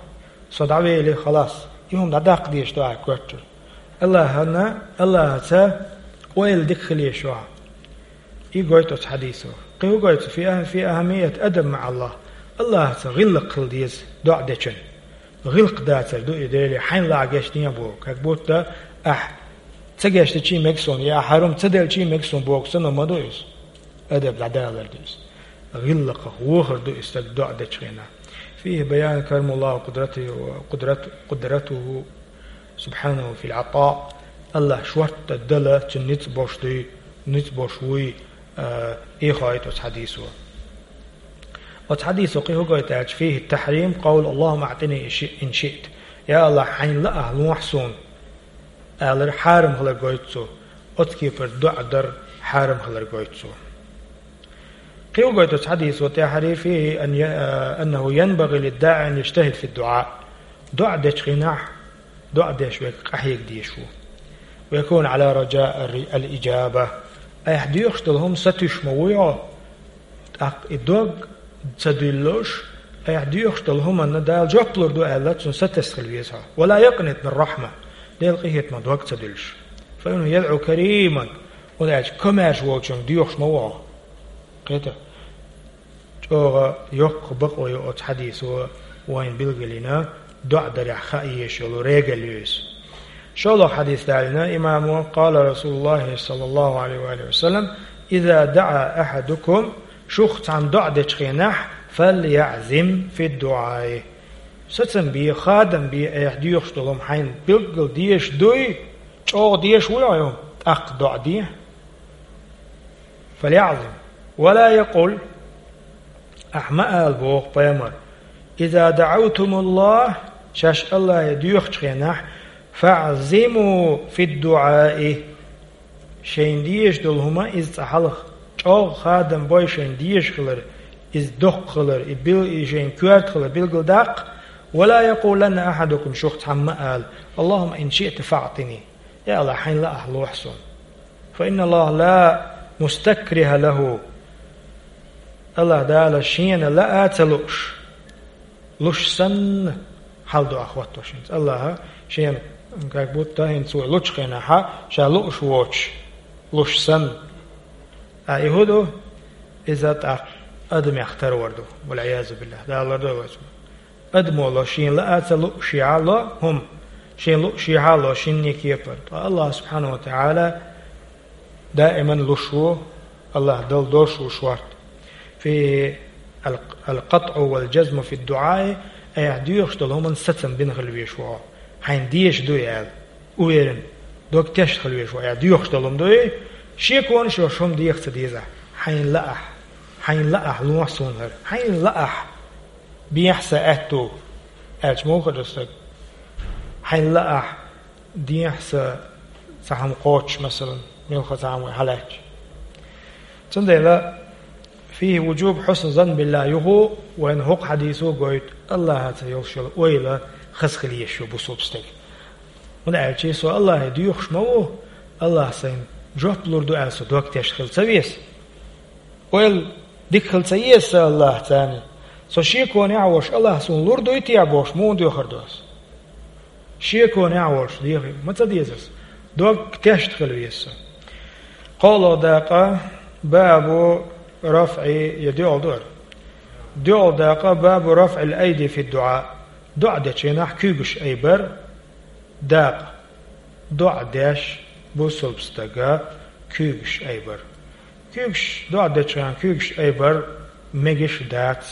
Со дӀавели, халас, и хӀума дӀадаккха дезаш ду ахь коьртара. АллахӀана, АллахӀаца ойла дика хила езаш ю ахь. И гойту оцу хьадисо. Кхин хӀун гойту? في أه-، في أهمية الأدب مع الله. АллахӀаца гӀиллакх хила деза доӀа дечун. ГӀиллакх дацар ду и, Деле, хьайна лаахь гечдехьа боху. Как будто ахь ца гечдича мега суна, я ахь хӀара хӀума ца делча мега суна боху санна ма ду иза. Адаб дӀадалар ду иза. ГӀиллакхах вохар ду и стаг доӀа дечу хенахь. فيه بيان كرم الله وقدرته، قدرت-، قدرته سبحانه في العطاء. АллахӀ шортта дала цуьнан ницкъ беш дуй, ницкъ беш вуй, а, и хоуьйту оцу хьадисо. Оцу хьадисо кхин хӀун гойту аьлча: فيه تحريم قول اللهم أعطني إن شئ-، إن شئت. Я АллахӀ, хьайна лаахь лохьа суна, алар хьарам хилар гойту цо. Оцу кепара доӀа дар хьарам хилар гойту цо. Кхин хӀун гойту оцу хьадисо тӀаьххьара: فيه أن ي-، أنه ينبغي للداعي أن يجتهد في الدعاء. ДоӀа дечу хенахь, доӀа деш верг къахьега дезаш ву. ويكون على رجاء الر-، الإجابة. Айхьа доьхуш долу хӀума сатуьйсуш ма вуй хьо, тӀаккха и дог ца дуьллуш, айхьа доьхуш долу хӀуманна Дала жоп лур ду аьлла, цунна сатесна хила веза хьо. ولا يقنط من رحمة. Делан къинхетамах дог ца дуьллуш. فإنه يدعو كريما. ХӀунда аьлча комаьрша волчуьнга доьхуш ма ву хьо. Кхета. ЧӀогӀа йоккха бакъо ю оцу хьадисо вайна билгалйина, доӀа дарехь хаа езаш йолу регал ю иза. ШолгӀа хьадис далийна имамо: قال رسول الله صلى الله عليه وآله وسلم: إذا دعا أحدكم, шух цхьанна доӀа дечу хенахь, فليعزم في الدعاء. Сацам бе, хадам бе, айхьа доьхуш долу хӀума хьайна билггал дезаш дуй, чӀогӀа дезаш вуй хьо и хӀума, тӀаккха доӀа де. فليعزم ولا يقل, ахь ма ала боху пайхамара: إذا دعوتم الله, шаьш АллахӀе доьхучу хенахь, فاعزموا في الدعاء. Шайна дезаш долу хӀума иза цкъа хьалха чӀогӀа хадам бой шайна дезаш хилар, иза доккха хилар, и бил-, и шайн коьрта хилар билгалдаккха, «ولا يقولن أحدكم», шух цхьамма а ала: «اللهم إن شئت فأعطني». Я АллахӀ, хьайна лаахь лохьа суна. «فإن الله لا مستكره له». АллахӀ Дала шена лаа а ца лууш, луш санна, хьал доах хӀотто шийца. АллахӀа шена, как будто хӀинца вай лучу хенахьа, ша лууш воцуш, луш санна. Ткъа и хӀун ду? Иза тӀаккха адамех тарвар ду. والعياذ بالله. Дала лардойла вай цунах. Адамо ло шена лаа а ца лууш, шеха ло хӀума, шена лууш, шеха ло шинне кепара. Ткъа АллахӀ سبحانه وتعالى даиман луш ву, АллахӀ Дала долуш ву шорта. «فيه الق-، القطع والجزم في الدعاء», айхьа доьхуш долу хӀуманна сацам бина хила везаш ву хьо. Хьайна дезаш ду и аьлла, уверен, дог тешна хила везаш ву, айхьа доьхуш долу хӀума ду и, шеконаш йолуш хӀума деха ца дезахь. Хьайна лаахь, хьайна лаахь лохьа суна хӀара, хьайна лаахь, бехьа сан аьтту, аьлча муха ду стаг? Хьайна лаахь, дехьа сан цхьа хӀума кхочуш, масалан, муьлхха цхьа хӀума вай хьалаьцча. Цундела, «فيه وجوب حسن الظن بالله», юха вайна хӀокху хьадисо гойту, АллахӀаца йолуш йолу ойла хаза хила езаш ю бусулба стеган. ХӀунда аьлча со АллахӀе доьхуш ма ву, АллахӀа сайна жоп лур ду аьлла со дог тешна хила ца веза. Ойла дика хила ца еза сан АллахӀаца. Со шеконехь а волуш, АллахӀа суна лур дуй те бохуш, муха доьхур ду ас? Шеконехь а волуш, дехар ма ца деза ас. Дог тешна хила веза сан. КхоалгӀа дакъа, бабу рафӀи, я доьалгӀа ду хӀара. ДоьалгӀа дакъа, бабу рафӀил айди фи дуӀа. ДоӀа дечу хенахь куьйгаш айбар. Дакъа. ДоӀа деш бусулба стага куьйгаш айбар. Куьйгаш, доӀа дечу хенахь куьйгаш айбар мегаш дац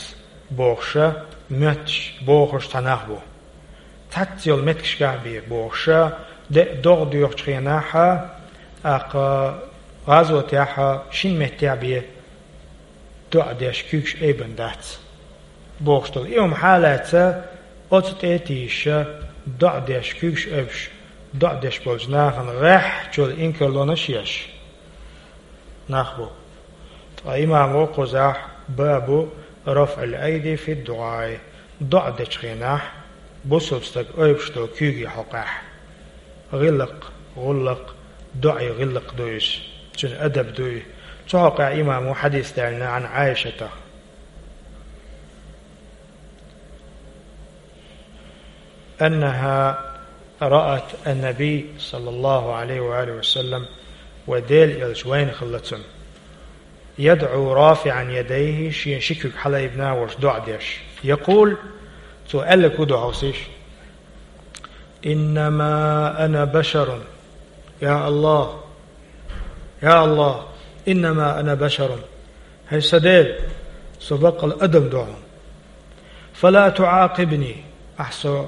бохуша, моьттуш бохуш цхьа нах бу. Цхьацца йолу меттигашкахь бен бохуша, де а догӀа доьхучу хенахьа, тӀаккха гӀазотехьа шина меттехь бен доӀа деш куьйгаш айбан дац бохуш долу. И хӀума хьалаьцна, оцу тӀе а тийша, доӀа деш куьйгаш айбаш, доӀа деш болчу нахана гӀеххьачул инкарлонаш еш нах бу. Ткъа имамо кхузахь бабу рафӀил айди фи дуӀаи, доӀа дечу хенахь бусулба стаг айбаш долу куьйге хьокъехь. ГӀиллакх, гӀуллакх, доӀе гӀиллакх ду иза. Цуьнан адаб ду и. Цу хьокъехь имамо хьадис даьллина Ӏан Ӏайшата. أنها رأت النبي صلى الله عليه وآله وسلم, вай Делан элча вайна хилла цунна, يدعو رافعا يديه, шен ши куьг хьалаайбина а волуш доӀа деш. يقول, цо аьлларг хӀун ду хьовсийша: إنما أنا بشر. Я АллахӀ! Я АллахӀ! إنما أنا بشر. ХӀай сан Дела, со баккъалла адам ду хьуна. فلا تعاقبني, ахь со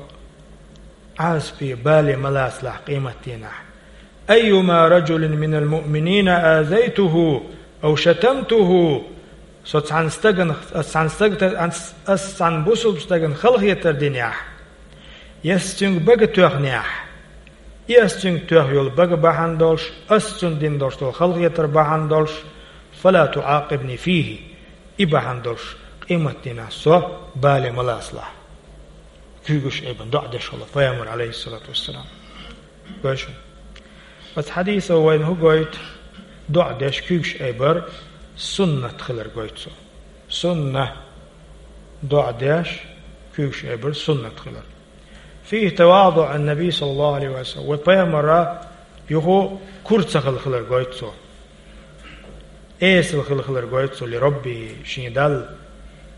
Ӏазапе, бале ма лацалахь къематдийнахь. أيما رجل من المؤمنين آذيته أو شتمته, со цхьана стагана, ас цхьана стагата, ас, ас цхьана бусулба стагана халахетар динехь, я ас цуьнга бага тоьхнехь, и ас цуьнга тоьхна йолу бага бахьана долуш, ас цунна дина долуш долу халахетар бахьана долуш, فلا تعاقبني فيه, и бахьана долуш, къематдийнахь со бале ма лацалахь. Куьйгаш айбина доӀа деш хилла пайхамар, Ӏалайхиссалату вассалам. Гой шуна. Оцу хьадисо вайна хӀун гойту? ДоӀа деш куьйгаш айбар суннат хилар гойту цо. Сунна. ДоӀа деш куьйгаш айбар суннат хилар. فيه تواضع النبي صلى الله عليه وسلم. Вай пайхамара юха кура ца хилла хилар гойту цо. Эсала хилла хилар гойту цо لربه, шен Далла,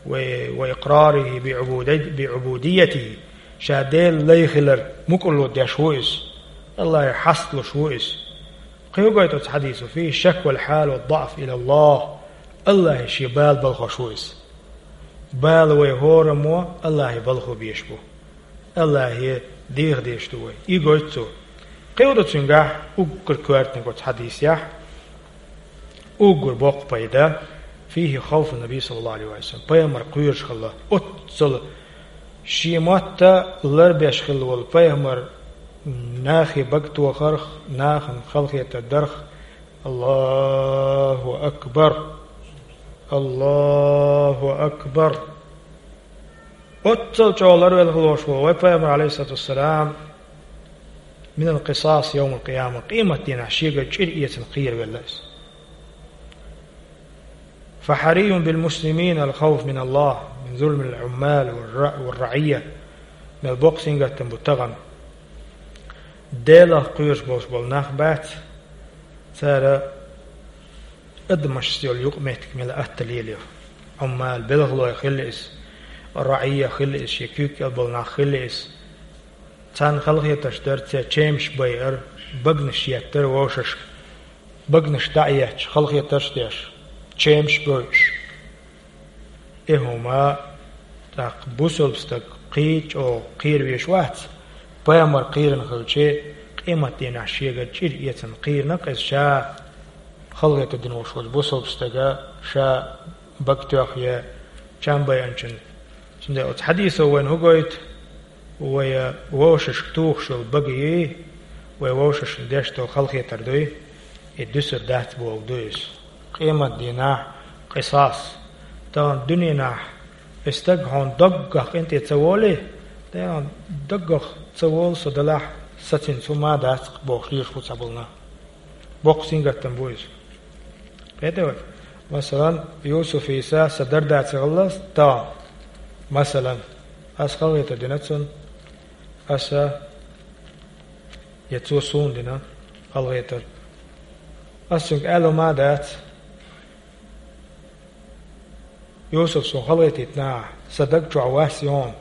ва, وإقراره بعبودي-, بعبوديته, ша Дела лай хилар мукӀарло деш ву иза. АллахӀе хьасталуш ву иза. Кхин хӀун гойту оцу хьадисо? فيه شكوى الحال والضعف إلى الله. АллахӀе шен бала балхош ву иза. Бала вай хӀораммо АллахӀе балхо безаш бу. АллахӀе деха дезаш ду вай. И гойту цо. Кхин хӀун ду цуьнгахь? Уггар коьртаниг оцу хьадисехь, уггар боккха пайда: فيه خوف النبي صلى الله عليه وسلم. Пайхамар кхоьруш хилла. Оццул шен мотт ларбеш хилла волу пайхамар нахе бага тохарх, нахана халахетар дарх. Аллаху акбар! Аллаху акбар! Оццул чӀогӀа ларвелла волаш вола вай Пайхамар, алейхиссалату вассалам, минал къисас йовмал къияма, къематдийнахь шегара чӀир эцна кхеравелла иза. فحري بالمسلمين الخوف من الله من ظلم العمال والر-، والرعية. Мел боккха сингаттам бу тахана. Делах кхоьруш болаш бола нах бац, цара адамашца йола юкъаметтиг мел атта лелайо. Ӏуммал, белхалой хилла иза, раӀия хилла иза, шен куьйга кӀел бола нах хилла иза. Царна халахетарш дар, церан чемаш байар, багнаш еттар вовшашка. Багнаш дӀа а етташ, халахетарш а деш, чемаш а бойуш. И хӀума тӀаккха бусалба стаг кхин а чӀогӀа кхеравеш вац, Пайхамар кхерана хилча, къематдийнахь шегара чӀир эцна кхерана-кх иза ша, халахетар дина волаш волча бусалба стага ша бага тоьхна е чам байначун. Цундела оцу хьадисо вайна хӀун гойту? Вай вовшашка тухуш йолу бага йий, вай вовшашна деш долу халахетар дуй, и дуьсур дац бохург ду иза. Къематдийнахь къисас. Тахана дуьненахь и стаг хьуна даггах къинтӀе ца волий, тахана даггах ца волу со делахь, сан цуьнца хӀума а дац-кх бохуш лелаш бу цхьаболу нах. Боккха сингаттам бу иза. Кхетий вай? Масалан, Юсуфица сан дарда ца хилла тахана. Масалан, ас халахетар дина цунна, аса я цо суна дина халахетар. Ас цуьнга аьлла ма дац: «Юсуф, суна халахетийтина ахь, сан даг чохь вас ю хьуна.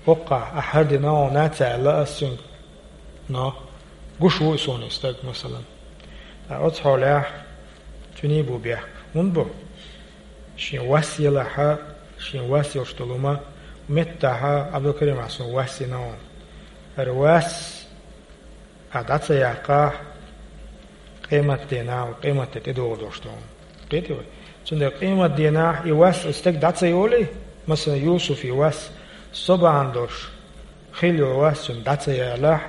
ХӀокхахь ахь хӀара дина хьуна», — ца аьлла ас цуьнга. Но гуш ву и суна и стаг, масалан. Ткъа оцу хьолехь цуьнан бу бехк. ХӀунда бу? Шен вас елахь, шен вас йолуш долу хӀума, меттахь Ӏабдулкарим, ахь суна вас йина хьуна. ХӀара вас ахь дӀа ца яккхахь, къематдийнахь, къематде тӀедогӀур долуш ду хьуна. Кхетий вай? Цундела къематдийнахь и вас, и стаг дӀа ца йолий, масалан, Юсуфан вас, со бахьана долуш хилла йолу вас цуьнан дӀа ца ялахь,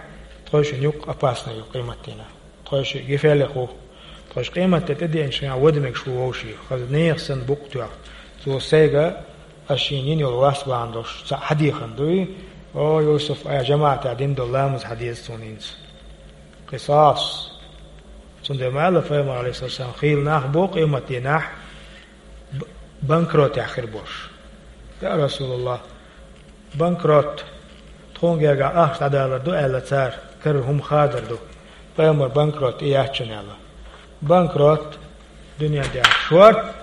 тхойшинна юккъе опасный ю къематдийнахь. Тхойшиъ гефех ву. Тхойша къематде тӀедеанчу хенахь вада мегаш ву вовшийн. Хаза нехан санна букъ тоьхна. Цо сайга ас шена йина йолу вас бахьана долуш цхьаъ хьадехна дуй: «О, Юсуф, айхьа жамаӀатехь дина долу ламаз хьадеза суна хӀинца». Къисас. Цундела ма аьлла Пайхамара, алейхиссалам, хийла нах бу къематдийнахь б-, банкротехь хир болуш. Я Расулаллах, банкрот, тхуна гергахь ахча дӀадалар ду аьлла цара, карара хӀума хадар ду. Пайхамар, банкрот и яц шуна аьлла. Банкрот, дуьнен тӀехь шорта,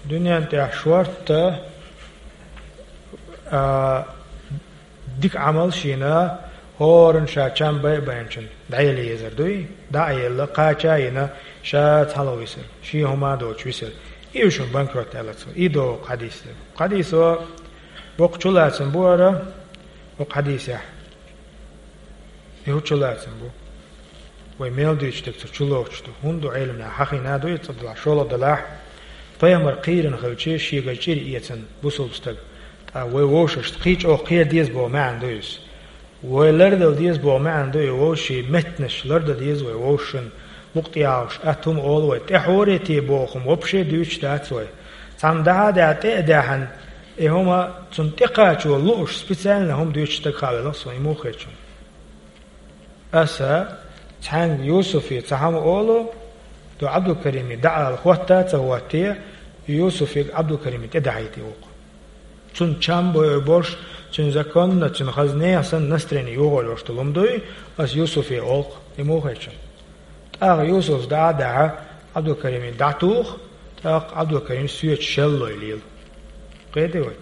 дуьнен тӀехь шорта, а, дика Ӏамал шена, хӀоранна ша чам бай а байначун дӀаяла езар дуй, дӀа а елла, кхача а йина, ша цхьалха висар, шен хӀума а доцуш висар. И ю шуна банкрот аьлла цо. И ду хӀокху хьадисо. Хьадисо боккха чулацам бу хӀара хӀокху хьадисехь. И хӀун чулацам бу? Вай мел дуьйцуш дерг цу чулоцуш ду. ХӀунда ду, Ӏеламнаха хьахийна ду иза, цкъа делахь, шолгӀа делахь, Пайхамар кхийрина хилча, шегара чӀир эцна бусалба стаг. Ткъа вай вовшашца кхин чӀогӀа кхера деза боху маьӀна ду иза. Вай лардала деза боху маьӀна ду и вовшийн меттанаш, лардан деза вай вовшашна, букъ тӀехьа йолуш, атта хӀума олу вай, тӀехьорете боху хӀума вообще дуьйцуш дац вай. Цхьамма дахьа а даьхьна, тӀе а даьхьна, и хӀума цунна тӀекхачо лууш, специально хӀума дуьйцуш стаг хаа велахь суна, и муха хета шуна? Аса цхьаьнга Юсуфе цхьа хӀума олу, ду Ӏабдулкариме дӀаала хӀотта а ца хӀоттае, Юсуфе Ӏабдулкариме тӀедахьийта и вукху. Цунна чам бой болуш, цуьнан законна, цуьнан хаза нехан санна настроение йохуьйтуш долу хӀума дуй, аса Юсуфе олу-кх, и муха хета шуна? ТӀаккха Юсуф дӀа а дахьа, Ӏабдулкариме дӀатуху, тӀаккха Ӏабдулкарим соьца шеллой лела. Кхетий вай?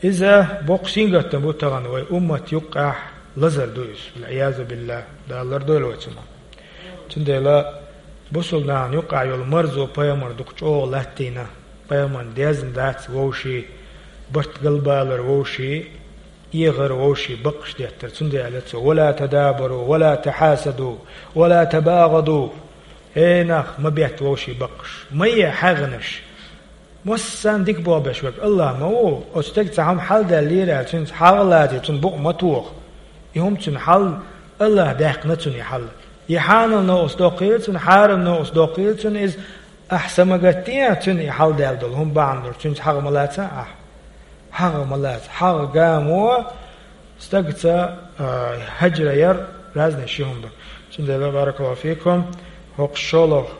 Иза боккха сингаттам бу тахана вай уммат юккъехь, лазар ду иза, валь-Ӏиязу биллахӀ, Дала лардойла вай цунах. Цундела бусалба нахана юккъехь йолу марзо Пайхамара дукха чӀогӀа латтийна, Пайхамарна дезна дац вовшийн барт галбалар, вовшийн эгӀар, вовшийн баккхаш деттар. Цундела аьлла цо: «Ва ла тадабару, ва ла тахьасаду, ва ла табагӀаду». Эй нах, ма бетта вовшийн баккхаш, ма е хьагӀнаш. Массарна дика болх беш верг АллахӀ ма ву. Оцу стеган цхьа хӀума хьалдаьллера аьлла, цуьнца хьагӀ а лаций, цунна букъ ма тоха. И хӀума цуьнан хьал, АллахӀа даьккхина цунна и хьал. И хьанал новкъас доккхийла цунна, хьарам новкъас доккхийла цунна иза, ахь са ма гатде цунна и хьалдаьлла долу хӀума бахьана долуш, цуьнца хьагӀ ма лаца ахь. ХьагӀ ма лаца, хьагӀ гамо стагца, а, хьаджра яр разный ши хӀума ду. Цундела, баракаллаху фикум, хӀокху шолгӀа,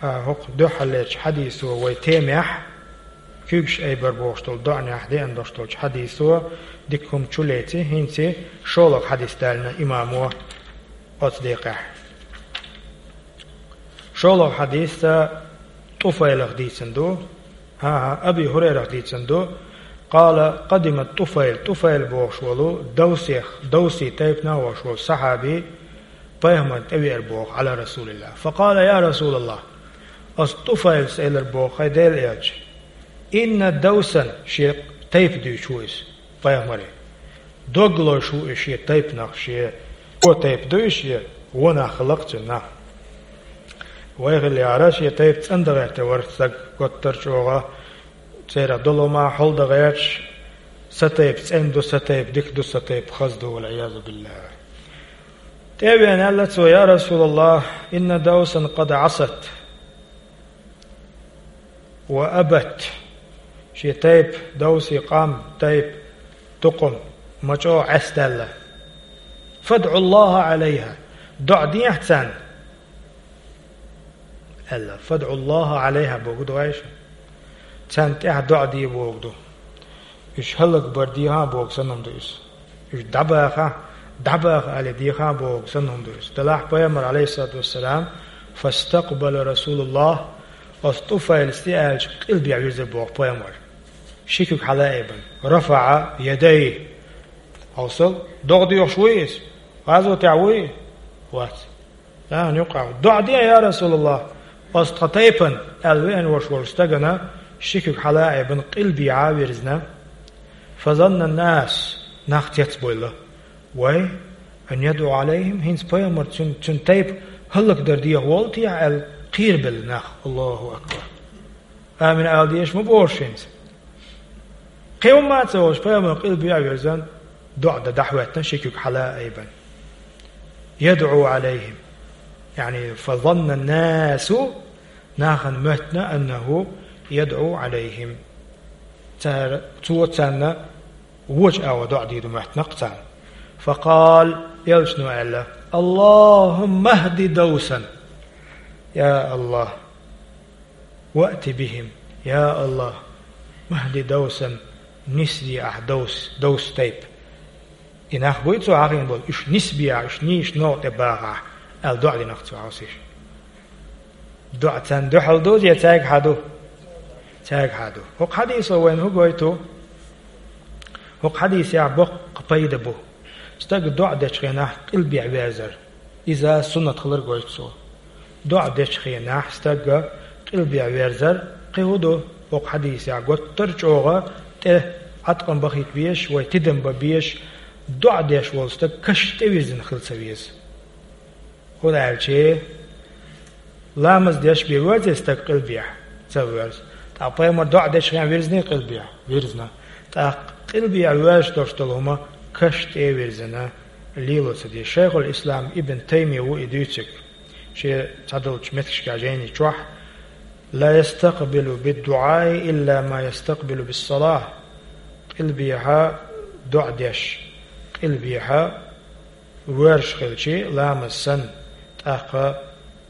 а, хӀокху дуьххьарлерчу хьадисо вай темехь, куьйгаш айбар бохуш долу доӀанехь деана долуш долчу хьадисо дика хӀума чу леци, хӀинца шолгӀа хьадис далийна имамо оцу декъехь. ШолгӀа хьадис ТӀуфайлах дийцина ду. ХӀан-хӀа, Аби ХӀурайрах дийцина ду. Къала къадима ТӀуфайл. ТӀуфайл бохуш волу Давсех, Давси тайпанах волуш волу сахьаби пайхамарна тӀевеара боху, Ӏала Расулилла. Факъала: «Я Расулаллах». Ас ТӀуфайлс элира боху, хӀай Делан элча. Инна Давсан, шен тайпа дуьйцуш ву иза, пайхамаре. Дог лозуш ву и шен тайпанах, шен вон тайпа ду и шен, вон нах хилла-кх цуьнан нах. Вай хилла яра шен тайпа цӀандан гӀертар вара стаг, готтар чӀогӀа, церан долу ма хьал дан гӀерташ, сан тайпа цӀена ду, сан тайпа дика ду, сан тайпа хаза ду, вал-Ӏиязу биллахӀ. ТӀе а веана аьлла цо: «Я Расулаллах, инна Давсан къад Ӏасат». «Ва абат». Шен тайпа, Давси къам, тайпа, тукхум, ма чӀогӀа Ӏесдаьлла. «ФадӀу Аллаха Ӏалайха». ДоӀа дехьа царна, аьлла. «ФадӀу Аллаха Ӏалайха» боху ду вайша. Царна тӀехь доӀа де боху ду. Уьш хӀаллакбар дехьа боху санна хӀума ду иза. Уьш дӀабаха, дӀабаха аьлла дехьа боху санна хӀума ду иза. Делахь пайхамар, Ӏалайхиссалату вассалам, фастакъбала Расулуллах, ас ТӀуфайлс тӀе аьлча, къилбехьа вирзира боху пайхамар. Ши куьг хьала а айбина. РафаӀа ядайхи. Хьовсал, догӀа доьхуш вуй иза? ГӀазотехь вуй? Вац. Нахана юккъехь: «ДоӀа де, я Расулаллах, ас тхан тайпана», аьлла веана волуш волу стагана ши куьг хьала а айбина, къилбехьа а вирзина. Фазанна ннас, нах цецбойла: «Вай, ан ядӀу Ӏалайхим, хӀинца пайхамар цуьнан, цуьнан тайпа хӀаллакдар дехьа волу техьа?» аьлла, кхерабелла нах. Аллаху акбар! «Амин» ала дезаш ма бохуш хӀинца. Кхин хӀумма а ца олуш, пайхамар къилбехьа а вирзина, доӀа дан дӀахӀоьттина ши куьг хьала а айбина. «ЯдӀу Ӏалайхим». Яъни, фазанна ннасу, нахана моьттина, аннаху ядӀу Ӏалайхим. Цара, цо царна вочу агӀор доӀа дийр ду моьттина-кх царна. Факъала, элчано аьлла: «Аллахумма хӀди Давсан». Я Аллах, «Ваъти бихим». Я Аллах, «Махди Давсан», нисде ахь Давс, Давс тайпа. И нах буй цо хьахийна болу, уьш нисбехьа, уьш нийса новкъа тӀе бахахь, аьлла доӀа дина-кх цо хьовсийша. ДоӀа царна дуьхьал ду, я цаьргахьа ду? Цаьргахьа ду. ХӀокху хьадисо вайна хӀун гойту? ХӀокху хьадисехь боккха пайда бу. Стаг доӀа дечу хенахь къилбехьа верзар. Иза суннат хилар гойту цо. ДоӀа дечу хенахь стаг къилбехьа верзар, кхин хӀун ду, хӀокху хьадисехь готтар чӀогӀа тӀе Ӏаткъам бахийта безаш, вай тидам бан безаш, доӀа деш волу стаг каш тӀевирзина хила ца веза. ХӀунда аьлча, ламаз деш бен верзий стаг къилбехьа? Ца верза. ТӀаккха пайхамар доӀа дечу хенахь вирзиний къилбехьа? Вирзина. ТӀаккха къилбехьа ваьржаш долуш долу хӀума каш тӀе а вирзина, лело ца деза. Шайхул-Ислам Ибн Таймия ву и дуьйцург. Шен цхьадолчу меттигашкахь жайни чохь: «Ла ястакъбилу биддуӀаи илла ма ястакъбилу биссалахь». Къилбехьа доӀа деш, къилбехьа воьрзуш хилчи, ламаз санна, тӀаккха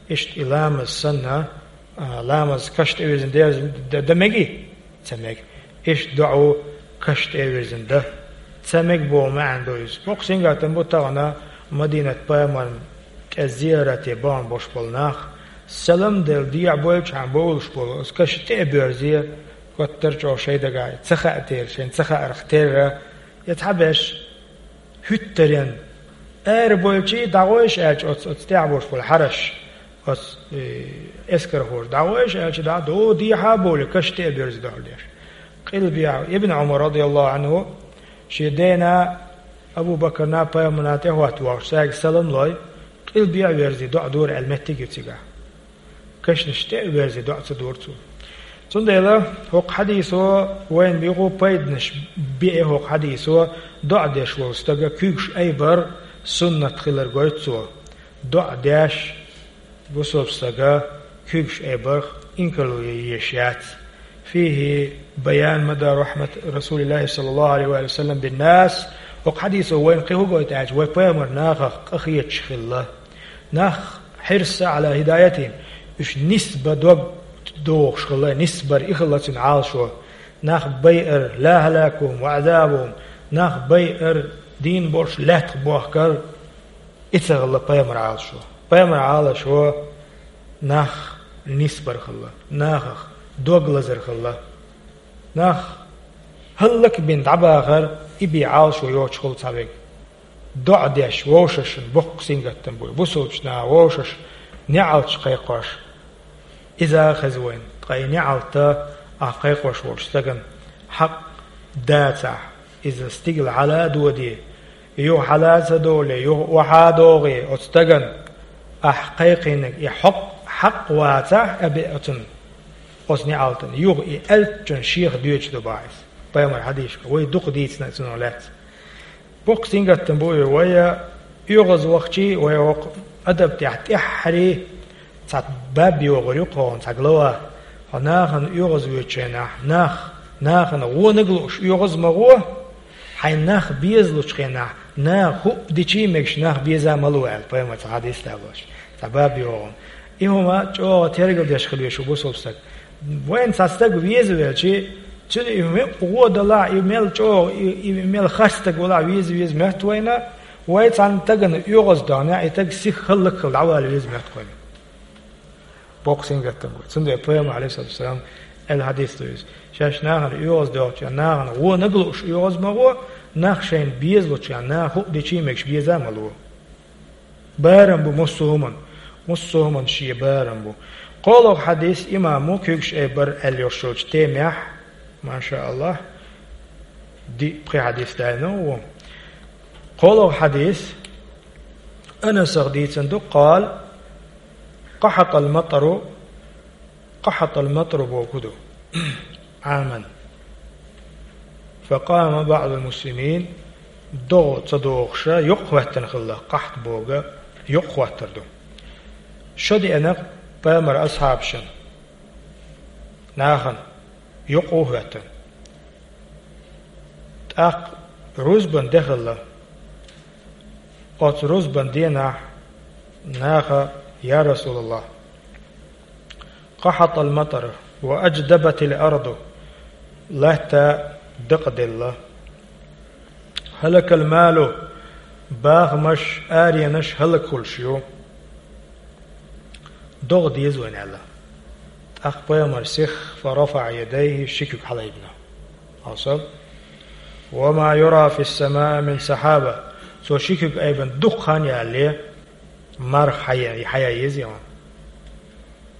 иштта и ламаз санна, а, ламаз каш тӀе вирзина дерза д-, дан мегий? Ца мега. Иштта доӀа каш тӀе вирзина дан ца мега боху маьӀна ду иза. Боккха сингаттам бу тахана Мадинат пайхамарна тӀе зиярате бахана болуш болу нах, салам делла дехьа бойлучхьана бовлуш болу, оцу каш тӀе а боьрзе, готтар чӀогӀа шайн дагахь ца хаьа терра, шайна ца хаарх терра, я цхьаберш хӀуьттаренна, ара бойлчий дӀагӀойша аьлча, оцу, оцу тӀехь болуш болу хьараш, оцу, э, эскархоша дӀагӀойша аьлча, дӀа-, до дехьа а бовлий, каш тӀе а боьрзи доӀа деш. Къилбехьа Ибн Ӏумар, радияллаху Ӏанху, шен дена Абу Бакарна, пайхамарна тӀехӀотта вахча, цаьрга салам лой, къилбехьа верзий доӀа дора аьлла меттиг ю цигахь. Кашнаш тӀе а верзий доӀа ца дора цо. Цундела хӀокху хьадисо вайна биху пайданаш, биъ хӀокху хьадисо, доӀа деш волу стага куьйгаш айбар суннат хилар гойту цо. доӀа деш, бусалба стага куьйгаш айбарх инкарло е езаш яц. فيه بيان مدى رحمة رسول الله صلى الله عليه وآله وسلم بالناس. ХӀокху хьадисо вайна кхин хӀун гойту аьлча, вай пайхамар нахах къахеташ хилла. Нах حرص على هدايتهم. Уьш нисбан дог дохуш хилла, нисбар и хилла цуьнан Ӏалашо. Нах байар, لا هلاكهم وعذابهم. Нах байар, дийна болуш лаьттах бохкар, и ца хилла пайхамар Ӏалашо. Пайхамар Ӏалашо нах нисбар хилла, нахах дог лазар хилла. Нах хӀаллакбина дӀабахар, и бен Ӏалашо йоцуш хилла цхьаверг. ДоӀа деш вовшашна боккха сингаттам бу, бусалбачу наха вовшашна неӀалташ кхайкхош. Иза а хеза вайна, ткъа и неӀалт ахь кхайкхош волчу стагана хьакъ дацахь, иза стигала хьала а доде, юха хьала а ца доле, юха охьа а догӀе оцу стагана, ахь кхайкхийнарг и хьокъ хьакъ вацахь а беа оцунна, оцу неӀалтана, юха и аьллачунна шех доьдуш ду бах иза. Пайхамар хьадийшка, вай дукха дийцина цунах лаьцна. Боккха сингаттам бу и вай, оьгӀаз вахчий, вай вокху адаб тӀехь тӀаьххьарий, цхьа баб йогӀур ю кхуна, цхьа глава. Хьо нахана оьгӀаз воьдучу хенахь, нах, нахана гӀонаг лууш оьгӀаз ма гӀо, хьайн нах безалучу хенахь, наха хӀуъа дичий мегаш нах беза ма ло аьлла, пайхамар цхьа хьадис далош, цхьа баб йогӀу. И хӀума чӀогӀа тергал деш хила веза шу бусалба стаг. Вайна цхьа стаг веза велчий, цуьнан и хӀума гӀо далахь, и мел чӀогӀа, и, и мел харц стаг валахь веза веза моьтту вайна, вай цхьана стагана оьгӀаз догӀнехь, и стаг сиха хӀаллакьхила дӀавала веза моьтту вайна. Боккха сингаттам бу. Цундела пайхамар, Ӏалайхиссалату вассалам, аьлла хьадис ду иза. Шаьш нахана оьгӀаз доьхучу хенахь, нахана гӀонаг лууш оьгӀаз ма гӀо, нах шайна безалучу хенахь, наха хӀуъа дичий мегаш беза ма ло. Барам бу массо а хӀуманна. Массо а хӀуманна шен барам бу. КхоалгӀа хьадис имамо куьйгаш айбар аьлла йолуш йолчу темехь, машааллахӀ, диъ пхи хьадис даьлла ву. КхоалгӀа хьадис Анасах дийцина ду, قال: قحط المطر, قحط المطر бохург ду, عاما. فقام بعض المسلمين, догӀа ца догӀуша, юкъ хӀоьттина хилла, къахьт бохург юкъ хӀоттар ду. Шо деана пайхамар асхьабашна, нахана, юкъ а хӀоьттина. ТӀаккха рузбан де хилла. Оцу рузбан денахь наха: «Я РасулаллахӀ, قحط المطر وأجدبت الأرض», латта дакъаделла. «هلك المال», бахамаш, аренаш хӀаллак хуьлуш ю. ДогӀа деза вайна аьлла. ТӀаккха пайхамар сиха: «فرفع يديه», ши куьг хьалаайбина. Хьовсал. «وما يرى في السماء من سحابة». Цо ши куьг айбина дукха хан ялале, марха хьая-, хьаян еза ян.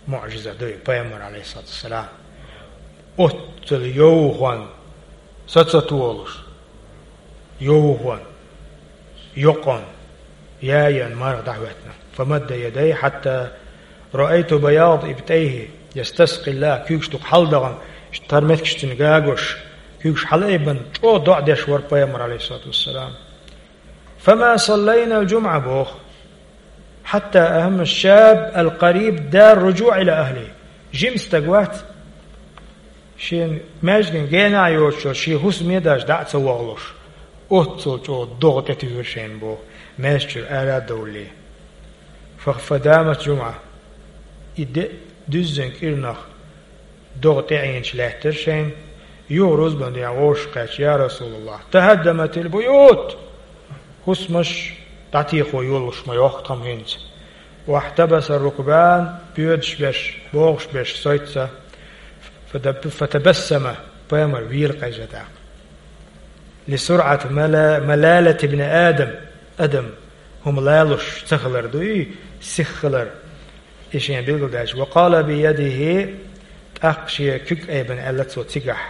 МуӀжиза ду и пайхамар, Ӏалайхиссалату вассалам. Оццул йовхонна, саца толуш, йовхонна, йокъонна, яйан марха дӀахӀоьттина. «فمد يديه حتى رأيت بياض إبطيه يستسقي الله», куьйгаш дукха хьалдахана, иштта тар меттигаш цуьнан гагош, куьйгаш хьалаайбина, чӀогӀа доӀа деш вара пайхамар, Ӏалайхиссалату вассалам. «فما صلينا الجمعة», боху. «حتى أهم الشاب القريب دار رجوع إلى أهله». Жима стаг вац, шен маьждиган генахь йоцуш, шен хӀусаме а даьлча дӀа а ца вахалуш, оццул чӀогӀа догӀа тӀетуьйхира шайна боху, маьждиг чуьра ара а довлий. «ف-، فدامت جمعة». И де-, дуьззина кӀирнах догӀа тӀеӀинчу лаьттира шайна, юха рузбан ден вовшах кхаьчча: «يا رسول الله، تهدمت البيوت». ХӀусамаш дӀатехо йолуш ма йохку тхо-м хӀинца. «واحتبس الركبان», боьдуш берш, богӀуш берш соьца. «فتب-، فتبسم», пайхамар вийра къежа тӀаккха. «لسرعة ملا-، ملالة ابن آدم». Адам хӀума лалуш ца хилар дуй, сиха хилар. И шен билгалдаьлча: «وقال بيده», тӀаккха шен куьг айбина аьлла цо цигахь: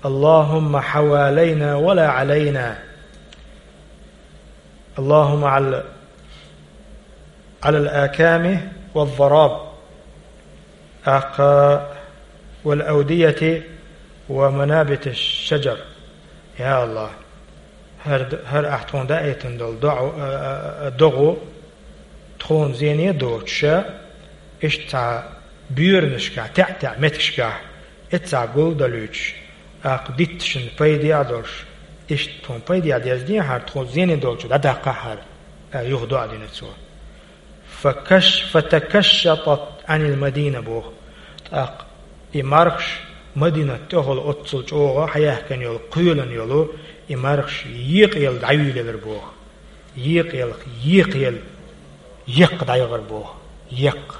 «اللهم حوالينا ولا علينا. اللهم على، على الأكام والضراب. أخ، والأودية ومنابت الشجر». Я АллахӀ, хӀара д-, хӀара ахь тхуна даийтина долу доӀа, а, а, а, догӀа, Тхуна зене а доцуш, иштта цхьа боьранашкахь, таьӀ-таьӀ меттигашкахь, эццахь гулдалуьйтуш, тӀаккха дитташна пайде а долуш, иштта тхуна пайде а деза дехьара, тхуна зене долчу дӀадаккхахьара, аьлла, юха доӀа дина цо. «Факаш-, фатакашшатат Ӏанил Мадина», боху. ТӀаккха и мархаш Мадинат тӀехула оццул чӀогӀа хьаяьхкина йолу, кхоьлина йолу, и мархаш екъаелла дӀайуьйлелира боху. Екъаелла, екъаелла, еккха дӀайогӀура боху. Еккха.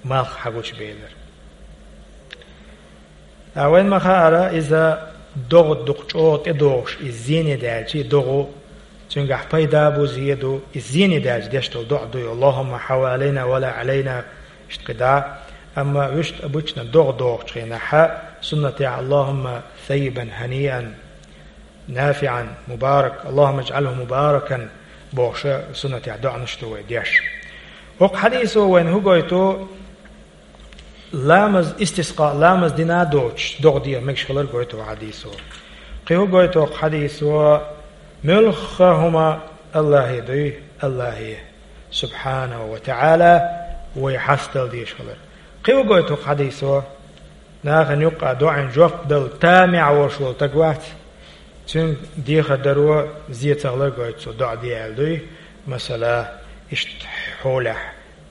Малх хьагучубелира. Ткъа вайна ма-хаъара, иза догӀа дукха чӀогӀа тӀедогӀуш, иза зене даьлча, и догӀа цуьнгахь пайда а бу, зе а ду, иза зене даьлча деш долу доӀа ду и: «Аллахумма хьавалайна ва ла Ӏалайна», иштта кхидӀа. Амма вуьшта обычно догӀа догӀучу хенахь, суннатехь: «Аллахумма саййибан хьаниан, нафиӀан, мубарак, Аллахумма иджӀалху мубаракан», бохуша суннатехь доӀанаш ду вай деш. ХӀокху хьадисо вайна хӀун гойту? Ламаз, истискъа ламаз дина а доцуш, догӀа деха мегаш хилар гойту хӀокху хьадисо. Кхин хӀун гойту хӀокху хьадисо? Муьлхха хӀума Аллахье дуй, Аллахье, субхьанаху ва таӀала, вай хьастадала дезаш хилар. Кхин хӀун гойту хӀокху хьадисо? Нахана юккъехь доӀина жоп дала тамехь волуш волу стаг вац, цуьнга дехар даро зе ца хилар гойту цо доӀа де аьлла дуй, масала, иштта хьолехь.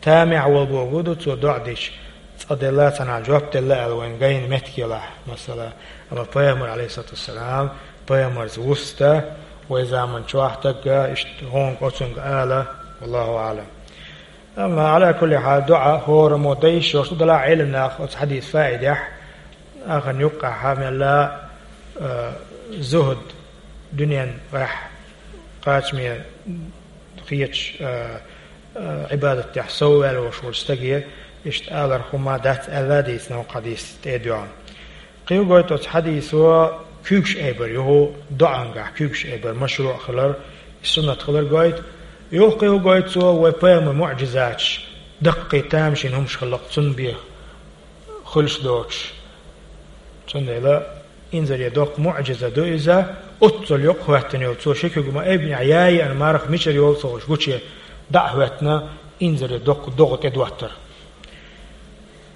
Тамехь волу бохург ду цо доӀа дича, цкъа делла, цхьанхьа жоп делла аьлла вайна гайна меттиг елахь, масала. Амма пайхамар, Ӏалайхиссалату вассалам, пайхамарца вуста, вай заманчохь дагга иштта гӀонга оцунга ала, валлаху аӀлам. Амма, Ӏала кулли хьал, доӀа хӀораммо дан йиш йолуш ду, делахь Ӏеламнаха оцу хьадисан фаидехь, ахарна юккъехь мелла, а, зухӀуд, дуьнен гӀехь кхачаме хеташ, а, а, Ӏибадатехь совваьлла волуш волчу стаге иштта аларх хӀума дац аьлла а дийцина хӀокху хьадис тӀе а доьгӀна. Кхин хӀун гойту оцу хьадисо? Куьйгаш айбар ю хӀу доӀангахь, куьйгаш айбар машруъ хилар, и суннат хилар гойту. Юха кхин хӀун гойту цо? Вай пайхамар муӀжизаташ, даккхий тамашийна хӀумаш хилла-кх цунна бен хуьлуш доцуш. Цундела инзаре доккха муӀжиза ду иза, оццул йокъа хӀоьттина йолу цо ши куьг ма айбинехь яа еана марха мичара йолу ца хуьлуш гуче дӀа а хӀоьттина, инзаре доккха догӀа тӀедоттар.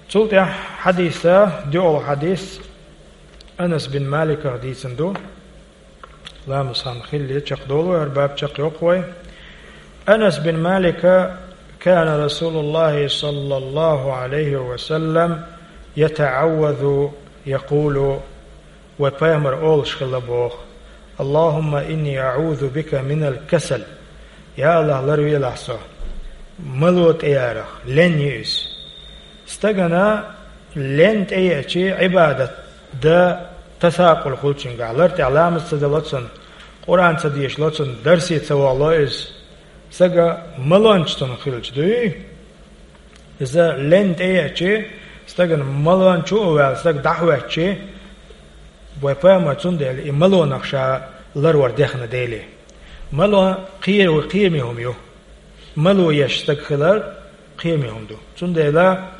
Цул тӀаьхьа хьадиса, доьалгӀа хьадис, Анас бин Маликах дийцина ду. Ламаз хан хилале чекхдолу вай, хӀара баб чекхйоккху вай. Анас бин Малика: «Кана Расулуллахи саллаллаху Ӏалайхи ва саллам ятаӀаввазу, якъулу», вай пайхамар олуш хилла боху: «Аллахумма инни аӀузу бика минал касал». Я АллахӀ, ларвелахь со мало тӀеярах, лен ю иза. Стагана лен тӀееачи, Ӏибадат дан тасакъул хуьлу цуьнгахь, лар тӀехь ламаз ца дало цунна, Къуръан ца дешало цунна, дарсе ца вахало иза. Стага малонча цунна хилча дуй. Иза лен тӀееачи, стагана малонча а ваьлла, стаг дӀахӀоьттичи, вай пайхамар цундела и малонах ша ларвар дехна дели. Мало кхера-, кхераме хӀума ю. Мало еш стаг хилар кхераме хӀума ду. Цундела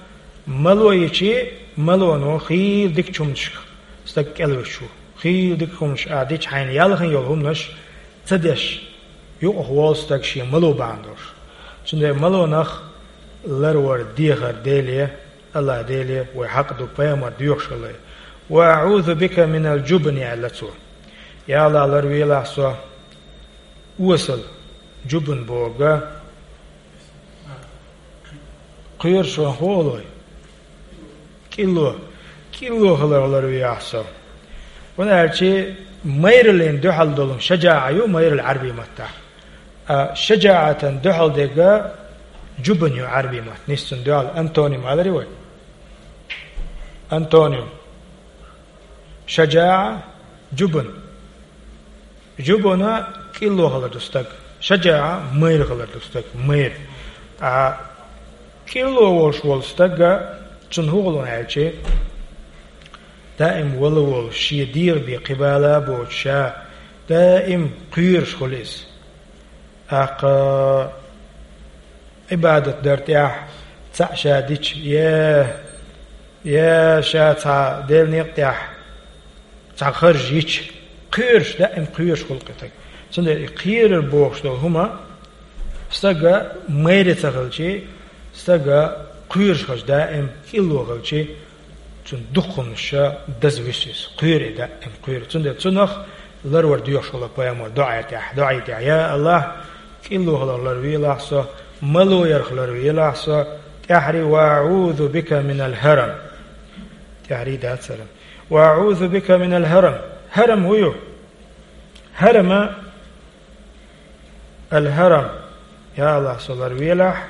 мало йичи, малоно хийла дикачу хӀуманашка стаг кӀелвуьтуш ву. Хийла дика хӀуманаш а дича, хьайна яьлла хин йолу хӀуманаш ца деш, юкъахволу стаг шен мало бахьана долуш. Цундела малонах ларвар дехар дели, АллахӀ Деле вай хьакъ ду пайхамар доьхуш хилла. «Ва аӀузу бика минал джубни», аьлла цо. Я АллахӀ, ларвелахь со осал, джубн бохург кхоьруш ван хӀу олой? КӀилло. КӀилло хиларх ларвелахь со. ХӀунда аьлча майраллина дуьхьал долу шаджаӀа ю майралла Ӏарбий маттахь. А шаджаӀатан дуьхьал дерг джубн ю Ӏарбий маттахь. Нийса цунна дуьхьал антоним аларе вай? Антоним. ШаджаӀа, джубн. Джубна кӀилло хилар ду стаг. ШаджаӀа майра хилар ду стаг. Майра. А кӀилло волуш волу стаг, цунна хӀун хуьлу аьлча, даим вала волуш, шен дегӀан бен кхин бала а боцуш, ша даим кхоьруш хуьлу иза. ТӀаккха Ӏибадат дар тӀехь цхьаъ ша дича, е, е ша цхьа Делан некъа тӀехь цхьа харж йича, кхоьруш, даим кхоьруш хуьлу кхин стаг. Цундела и кхерар бохуш долу хӀума, Стага майра ца хилчи, стага кхоьруш хилчи, даим кӀилло хилчи, цуьнан дукха хӀуманаш даза вуьсу иза. Кхоьру и даим, кхоьру. Цундела цунах ларвар доьхуш хилла пайхамар доӀа тӀехь, доӀа тӀехь: «Я АллахӀ, кӀилло хиларх ларвелахь со, мало ярх ларвелахь со, тӀаьххьара: „Ва аӀузу бика минал хӀарам“». ТӀаьххьара дац хӀарам. «Ва аӀузу бика минал хӀарам». ХӀарам хӀун ю? ХӀарама, ал-хӀарам, я АллахӀ, со ларвелахь,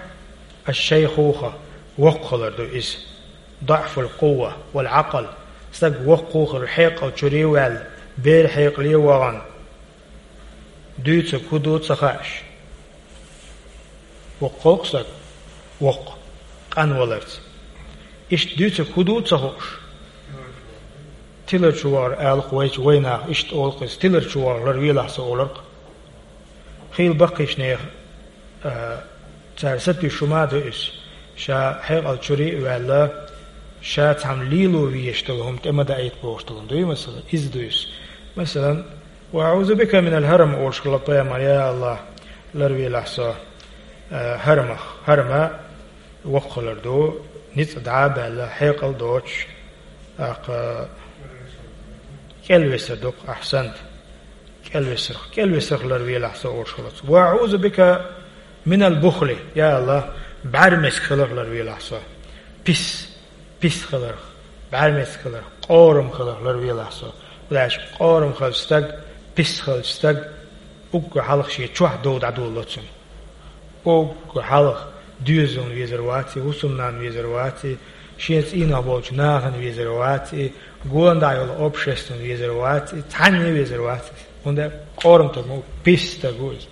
аш-шайхуха, воккха хилар ду иза. ДуӀфул-къувва вал-Ӏакъл, стаг воккха хилар, хьекъал чуьра ваьлла, бер хьекъале вахана, дуьйцург хӀун ду ца хаьаш. Воккха хилча стаг, воккха, къанваларца. Иштта дуьйцург хӀун ду ца хууш. Тилар чу вахар аларх вайчу вайнаха, иштта олу-кх иза, тилар чу вахар ларвелахь со олург. Хийла баккхийчу нехан, а, цара сатуьйсуш хӀума ду иза. Ша хьекъал чуьра а ваьлла, ша цхьамма лело везаш долу хӀума тӀе ма даийта бохуш долу хӀума дуй, масала, иза ду иза. Масалан, «Ва аӀузу бика минал хӀарам», олуш хилла пайхамар, я АллахӀ, ларвелахь со, а, хӀарамах. ХӀарама воккха хилар ду, ницкъ дӀа а баьлла, хьекъал доцуш, тӀаккха кӀелвесар ду-кх, ахьсант. КӀелвесарх, кӀелвесарх ларвелахь со олуш хилац. «Ва аӀузу бика минал бухли», я АллахӀ, бӀаьрмециг хиларх ларвелахь со. Пис, пис хиларх, бӀаьрмециг хиларх, къорам хиларх ларвелахь со. ХӀунда аьлча къорам хилча стаг, пис хилча стаг, уггар хьалха шен чохь дов дӀадолало цуьнан. Уггар хьалха доьзална везар вац и, хӀусамнанна везар вац и, шен цӀийнах болчу нахана везар вац и, гонаха йолу обществана везар вац и, цхьанне везар вац иза. ХӀунда аьлча къорам стаг ву, пис стаг ву иза.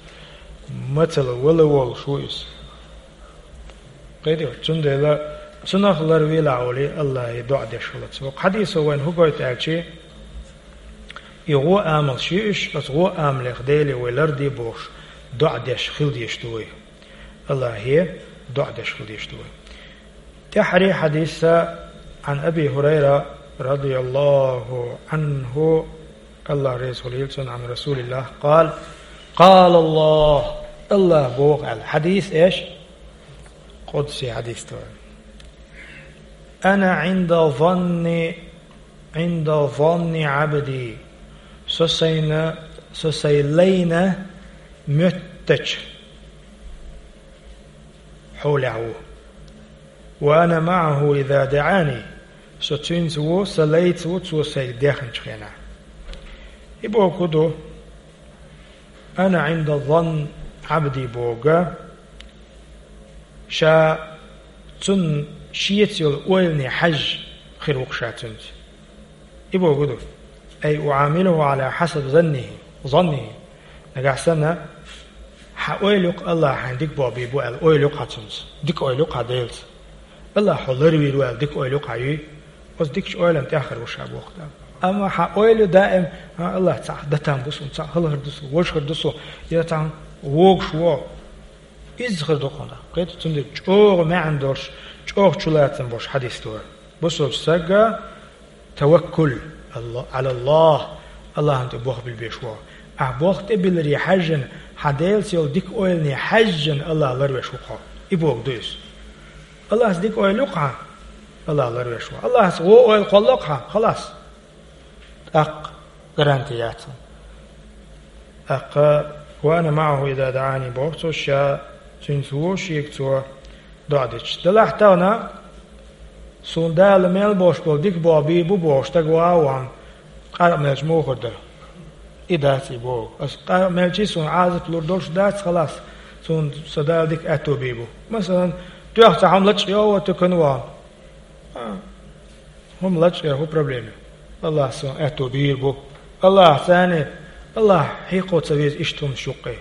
Мацалла вала волуш ву иза. Кхетий, цундела цунах ларвелахь олий, АллахӀе доӀа деш хилац. ХӀокху хьадисо вайна хӀун гойту аьлчи, и гӀо амалш ю уьш, оцу гӀо амалех Деле вай ларде бохуш, доӀа деш хила дезаш ду вай. АллахӀе доӀа деш хила дезаш ду вай. ТӀаьххьара хьадиса, Ӏан Аби ХӀурайра, радияллаху Ӏанху, АллахӀ реза хуьлийла цунна, Ӏан РасулиллахӀ, къала, къала АллахӀ, АллахӀа боху аьлла. Хьадис эш? Къудси хьадис ду. «Ана Ӏинда занни, Ӏинда занни Ӏабди». Со сайна, со сайн лайна моьттачу хьолехь ву. «Ва ана маӀаху иза даӀани». Со цуьнца ву, сан лайца ву, цо сайга дехначу хенахь. И бохург хӀун ду? «Ана Ӏинда занни Ӏабди» бохург, ша цунна шеца йолу ойлане хьаьжжа хир ву-кх ша цуьнца. И бохург хӀун ду? «Ай уӀамилуху Ӏала хьасаби заннихи, заннихи». Нагахь санна, хьан ойла ю-кх АллахӀа хьайна дика боху бийр бу аьлла, ойла ю-кх хьан цуьнца. Дика ойла ю-кх хьан Делаца. АллахӀа хьо ларвийр ву аьлла, дика ойла ю-кх хьан юй. Оцу дикачу ойланна тӀехь хир ву ша боху Дала. Амма хьан ойла ю даим, хьан АллахӀ, цхьаъ датан бу суна, цхьаъ хӀалхар ду суна, вожахар ду суна, я цхьаъ вогуш ву. Иза хир ду хьуна. Кхетий, цундела чӀогӀа маьӀна долуш, чӀогӀа чулацам болуш хьадис ду хӀара. Бусалба стага таваккул Алла-, Ӏала АллахӀ, АллахӀана тӀе болх билбеш ву. Ахь болх тӀе билларе хьаьжжина, хьан Делаца йолу дика ойлане хьаьжжина АллахӀ ларвеш ву хьо. И бохург ду иза. АллахӀаца дика ойла ю-кх хьан, АллахӀ ларвеш ву. АллахӀаца вон ойла кхоллало-кх хьан, халас. ТӀаккха гаранти яц хьуна. ТӀаккха «Ва ана маӀаху иза даӀани» боху цо, ша цуьнца ву, шега цо доӀа дича. Делахь тахана, суна Дала мел болуш болу дика боху бийр бу бохуш, стаг ван а ван, къаркъа мелча муха хир дара? И дац и боху. Аса къаркъа мелча суна Ӏазап лур долуш дац, халас, суна сан Дала дика аьтто бийр бу. Масалан, тоьхна цхьа хӀума лачкъа йо а, тукана ван. А, хӀума лачкъа яр хӀун проблема ю? АллахӀа суна аьтто бийр бу. АллахӀаца, АллахӀ хьекхо ца веза иштта хӀуманаш юккъе.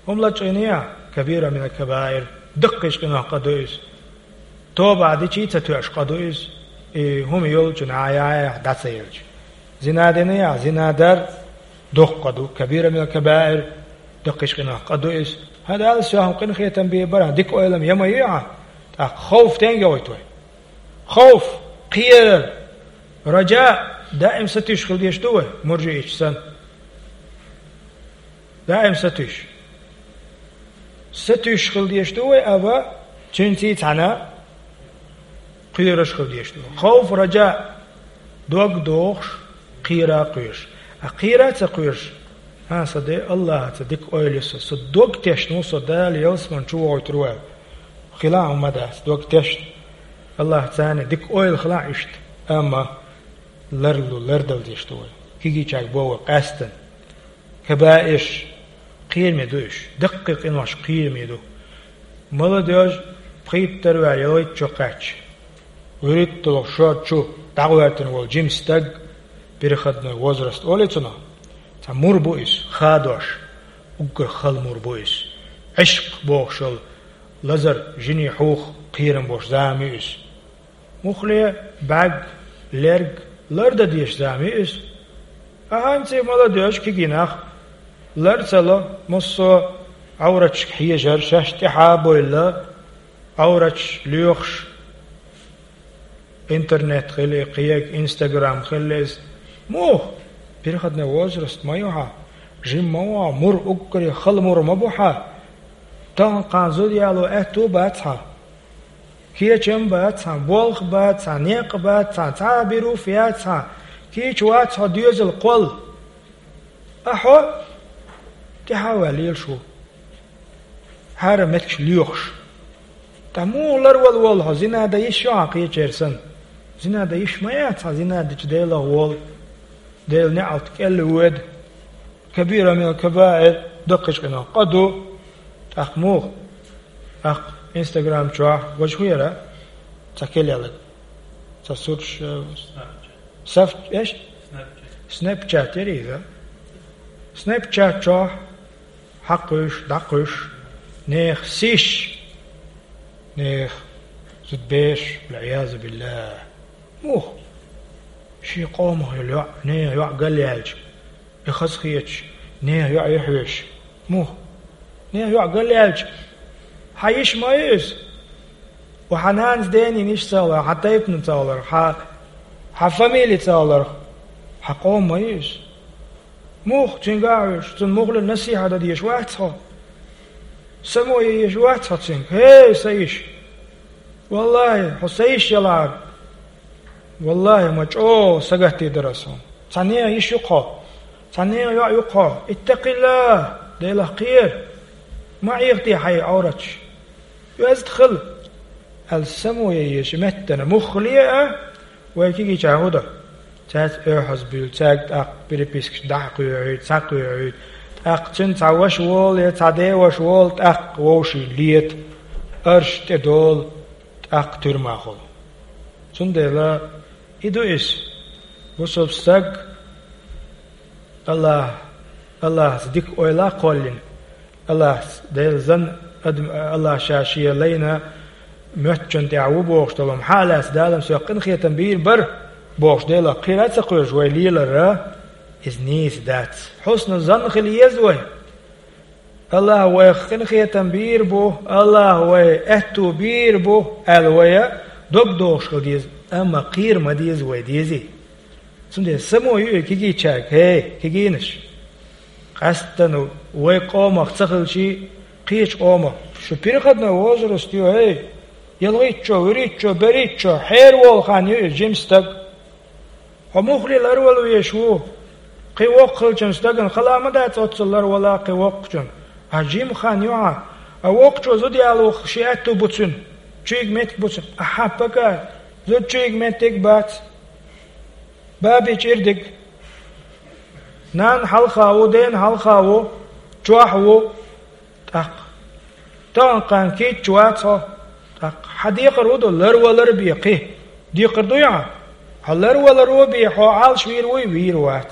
ХӀума лачкъийна яхь, кабира минал кабаир, даккхийчу къинойх къа ду иза. Тоба дичий ца тоьуш къа ду иза, и хӀума йолчу наха яхь дӀа ца елча. Зина дина яхь, зина дар доккха къа ду, кабира минал кабаир, даккхийчу къинойх къа ду иза. ХӀан, Дала соьхна къинхетам бийр бара, дика ойлам я ма ю хьан, тӀаккха ховф стенга йоуьйту вай? Ховф, кхерар, раджа, даим сатуьйсуш хила дезаш ду вай, муржиъчу санна. Даим сатуьйсуш. Сатуьйсуш хила дезаш ду вай, амма цуьнца цхьаьна кхоьруш хила дезаш ду. Хавф, раджа, дог дохуш, кхера кхоьруш. А кхера а ца кхоьруш, хӀан, сан Дела, Аллахьаца дика ойла ю сан, сан дог тешна ву со Дала ялсамани чу вохуьйтур ву аьлла. Хила а хӀума дац, дог тешна. Аллахьаца дика ойла хила а иштта. Амма ларлу, лардала дезаш ду вай. Кегийчаьрга бо вай къаьстина. Кабаир, кхераме ду уьш. Даккхий къинош кхераме ду. Молодёжь пхийтта дар ваьлла ялхитта чу кхаьчча, вуьрхӀитта долу шо чу дӀагӀоьртина волу жима стаг, переходной возраст олий цунах. Цхьа мур бу иза, хадош, уггар хала мур бу иза. Ӏишкъ бохуш йолу лазар, жиний хьух кхерам бош зама ю иза. Муххале бӀаьрг, лерг лардан дезаш зама ю иза. А хӀинца молодёжь, кегий нах лар ца ло, массо а Ӏовраташка хьежар, шаьш тӀаьхьа а бовлла, Ӏовраташ лоьхуш, интернет хила, кхин Instagram хила иза. Муха? Переходной возраст ма ю хьан, жима ма ву хьан, мур уггаре хала мур ма бу хьан. Тахана-кхана зуда яло аьтту бац хьан. Кечам бац хьан, болх бац хьан, некъ бац хьан, цхьа а бир ву яц хьан, кийча вац хьо доьзал кхолла. А хьо тӀаьхьа а ваьлла лелаш ву, хӀара меттигаш лоьхуш. Ткъа муха ларвала волу хьо, зина дан йиш ю хьан кхечеран санна? Зина дан йиш ма яц хьан, зина дича Делах волу, Делан неӀалт кӀел воьду. Кабира минал кабаир, даккхийчу къинойх къа ду. ТӀаккха муха? ТӀаккха Instagram чохь важа хӀун яра? Цхьа кхеллалаг. Цхьа сурташ, э, Snapchat. Саф-, эш? Snapchat. Snapchat яра иза. Snapchat чохь хьакхуьйсуш, дӀакхуьйсуш, нехан сис, нехан зудабераш, валӀиязубиллахӀ. Муха? Шен къомах йолу йоӀ, нехан йоӀ галъяьлча, и хазахеташ, нехан йоӀ юьхьвеш. Муха? Нехан йоӀ галъяьлча, хьан йиш ма ю иза? Ва хьан нанас, денин йиш ца хилар, хьан тайпана ца хилар, хьан, хьан фамили ца хилар, хьан къоман ма ю иза? Муха цуьнга а хьоьжуш, цунна муххале насихьат дан дезаш вац хьо? Само ян езаш вац хьо цуьнга: «ХӀей, сан йиш! ВаллахӀи, хьо сан йиш ялахьара, валлахӀи, ма чӀогӀа сагатдийр дара ас хьуна. Цхьа нехан йиш ю-кх хьо, цхьа нехан йоӀ ю-кх хьо. ИттакъиллахӀ, Делах кхера. Ма Ӏехаде хьайн Ӏовраташ. Оьзда хила», аьлла, само ян езаш меттана муххале а, вай кегийчара хӀун до? Цаьрца оьхьаз буьйлу, цаьрга тӀаккха перепискаш дӀа а кхоьхьуьйту, схьа а кхоьхьуьйту. ТӀаккха цуьнан цхьа ваша волу я цхьа деваша волу, тӀаккха вовшийн лета, арш тӀедолу, тӀаккха туьрма хуьлу. Цундела и ду иза: бусалба стаг Аллах, Аллахьца дика ойла а кхоллина, Аллахьца, Делан зан адам, Аллах ша шен лайна моьттучунна тӀехь ву бохуш долу хӀума хьа а лаьцна, Дала-м соьх къинхетам бийр бара бохуш, Делах кхера а ца кхоьруш вай лелар, иза нийса дац. Хьусну занн хила еза вай. Аллах вайх къинхетам бийр бу, Аллах вай аьтту бийр бу аьлла, вай дог дохуш хила деза, амма кхера ма деза вай, дезий? Цундела само ю и кегийчаьрга: «ХӀей, кегийнаш, къаьсттана вай къомах ца хилчий, кхечу къомах, шу переходной возраст ю, хӀей, ялхитта чо, вуьрхӀитта чо, берхӀитта чо, хьераволу хан ю иза, жима стаг. Хьо муххале ларвала везаш ву? Кхин воккха хиллачун стагана хала ма дац оццул ларвала кхин воккхачун. Хьан жима хан ю хьан, а воккхачо зуда яло шен аьтту бу цуьнан, чуьйга меттиг бу цуьнан. Ахьа, пакар, зуда чуьйга меттиг бац. Баби чӀир диг. Нанна хьалха ву, дена хьалха ву, чохь ву». ТӀаккха: «Тахана-кхана кийча вац хьо». ТӀаккха: «Хьан декхар хӀун ду, ларвалар бен кхин? Декхар дуй хьан? Хьо ларваларо бен, хьо Ӏалаш вийр вуй, вийр вац.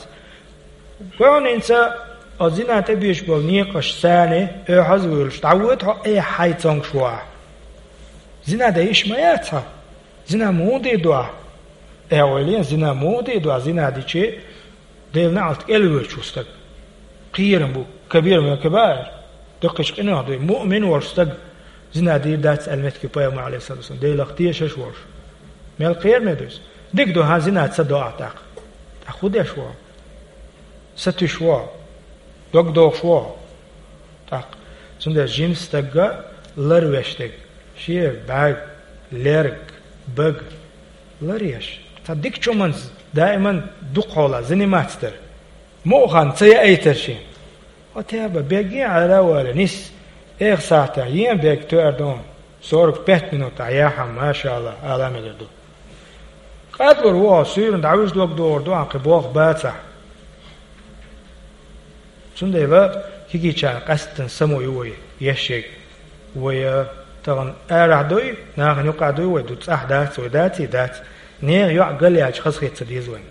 Кхунца хьо зина тӀе беш болу некъаш царна оьхьаз а вуьйлуш, дӀавоьду хьо, э, хьайн цомгуш ву ахь. Зина дан йиш ма яц хьан. Зина муха дийр ду ахь? Э, ойла е, зина муха дийр ду ахь? Зина дичи, Делан неӀалт кӀел воьдуш ву стаг. Кхерам бу, кабира минал кабаир. Даккхийчу къинойх ду, муъмин волуш стаг зина дийр дац аьлла меттиг ю Пайхамар, Ӏалайхиссалату вассалам, Делах тешаш волуш. Мел кхераме ду иза. Дика ду, хӀан, зина ца до ахь тӀаккха. ТӀаккха хӀун деш ву хьо? Сатуьйсуш ву хьо? Дог дохуш ву хьо?» ТӀаккха: Цундела жима стаг ларвеш дерг, шен бӀаьрг, лерг, бага ларъеш. Цхьа дика чуманца даиман дукха хьолахь заниматься дар. Муха хан ца яайтар шен. Хьо теба бегге Ӏара а вала, нис, эх сахьтехь, ен бег тоьар ду, сорок пять минут ахь яхьам, машаАллахӀ, ала мегар ду. Къадлур ву хьо, суьйранна дӀавижа дог догӀур ду, ахь кхин болх бацахь. Цундела кегийчарна къаьсттина само ю вай, еш ерг. Вай, а, тахана арахь дуй, нахана юкъахь дуй вай, ду цӀахь дац, вай даций, дац. Нехан йоӀ галъяьлча хазахета ца деза вайна.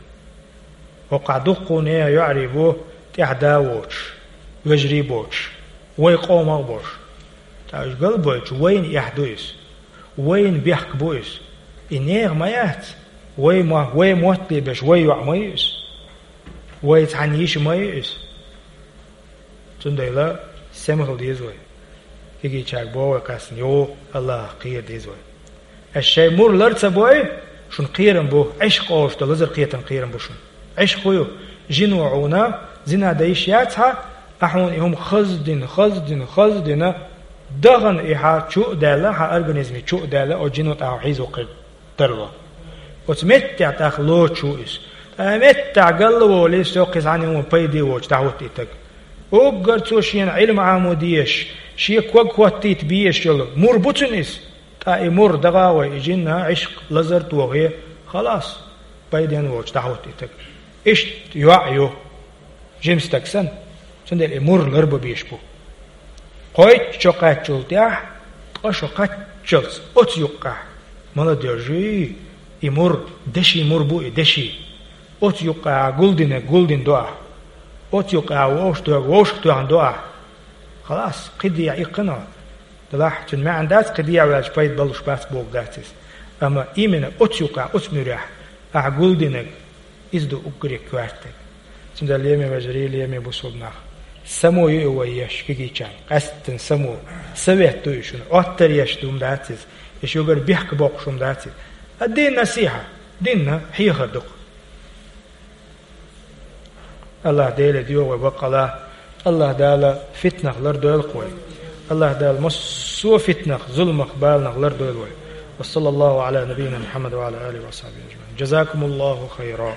ХӀокхахь дуккха нехан йоӀарий бу, тӀехь да воцуш, вежарий боцуш, вай къомах а боцуш. ТӀаккха уьш галбойтуш, вайна эхь ду иза, вайна бехк бу иза. И нехан ма яц, вай ма, вай мотт лебеш, вай йоӀ ма ю иза. Вай цхьана йиша ма ю иза. Цундела сема хила деза вай. Кегийчаьрга боху вай кхаьссина, йо, АллахӀах кхера деза вай. Ас шайн мур лар ца бой, шуна кхерам бу, Ӏишкъ олуш долу лазар кхетам кхерам бу шуна. Ӏишкъ хӀун ю? Жино хьуна зина дан йиш яц хьан, ахь хьуна и хӀума хаздина, хаздина, хаздина, дахана и хьан чу а даьлла, хьан организме чу а даьлла, оцу жино тӀехь хьо хьийзо кхуьйту. Тарло. Оцу меттехь тӀаккха лоцуш ву иза. Ткъа меттехь галла волий, со кхин цхьаьна хӀума пайде воцуш дӀахӀутту и стаг. Уггар цо шена Ӏилма Ӏамо дезаш, шен ког хӀоттийта безаш йолу мур бу цуьнан иза. Ткъа и мур даха а вай, и жинна Ӏишкъ лазар а тохий, халас, пайденна воцуш дӀахӀутту и стаг. Иштта йоӀ ю. Жима стаг санна, цундела и мур ларбан безаш бу. Кхойтта шо кхаччул тӀаьхьа, ткъа шо кхаччалц оцу юккъехь, молодёжь, и мур, деши мур бу и, деши. Оцу юккъехь гулдинарг гулдина до ахь. Оцу юккъехь вовшах тоьхнарг вовшах тоьхна до ахь. Халас, кхин дехьа иккхина. Делахь, цуьнан маьӀна дац, кхин дехьа ваьлча пайда балуш бац бохург дац иза. Амма именно оцу юккъехь, оцу муьрехь ахь гулдинарг, иза ду уггаре коьртаниг. Цундела, лераме вежарий, лераме бусулба нах, само ю и вай еш кегийчарна, къаьсттина само. Совет ду и шуна, Ӏоттар еш ду хӀума дац иза, и шуьгара бехк боккхуш хӀума дац иза. Ад-дин насихьа, динна хьехар ду-кх. АллахӀ Деле доьху вай баккъала. АллахӀ Дала фитнах лардойла-кх вай. АллахӀ Дала массо а фитнах, зуламах, баланах лардойла вай. Ва саллаллаху Ӏала набийина Мухьаммад ва Ӏала алихи ва сахьбихи ажмаӀин. Жазакумуллаху хайра.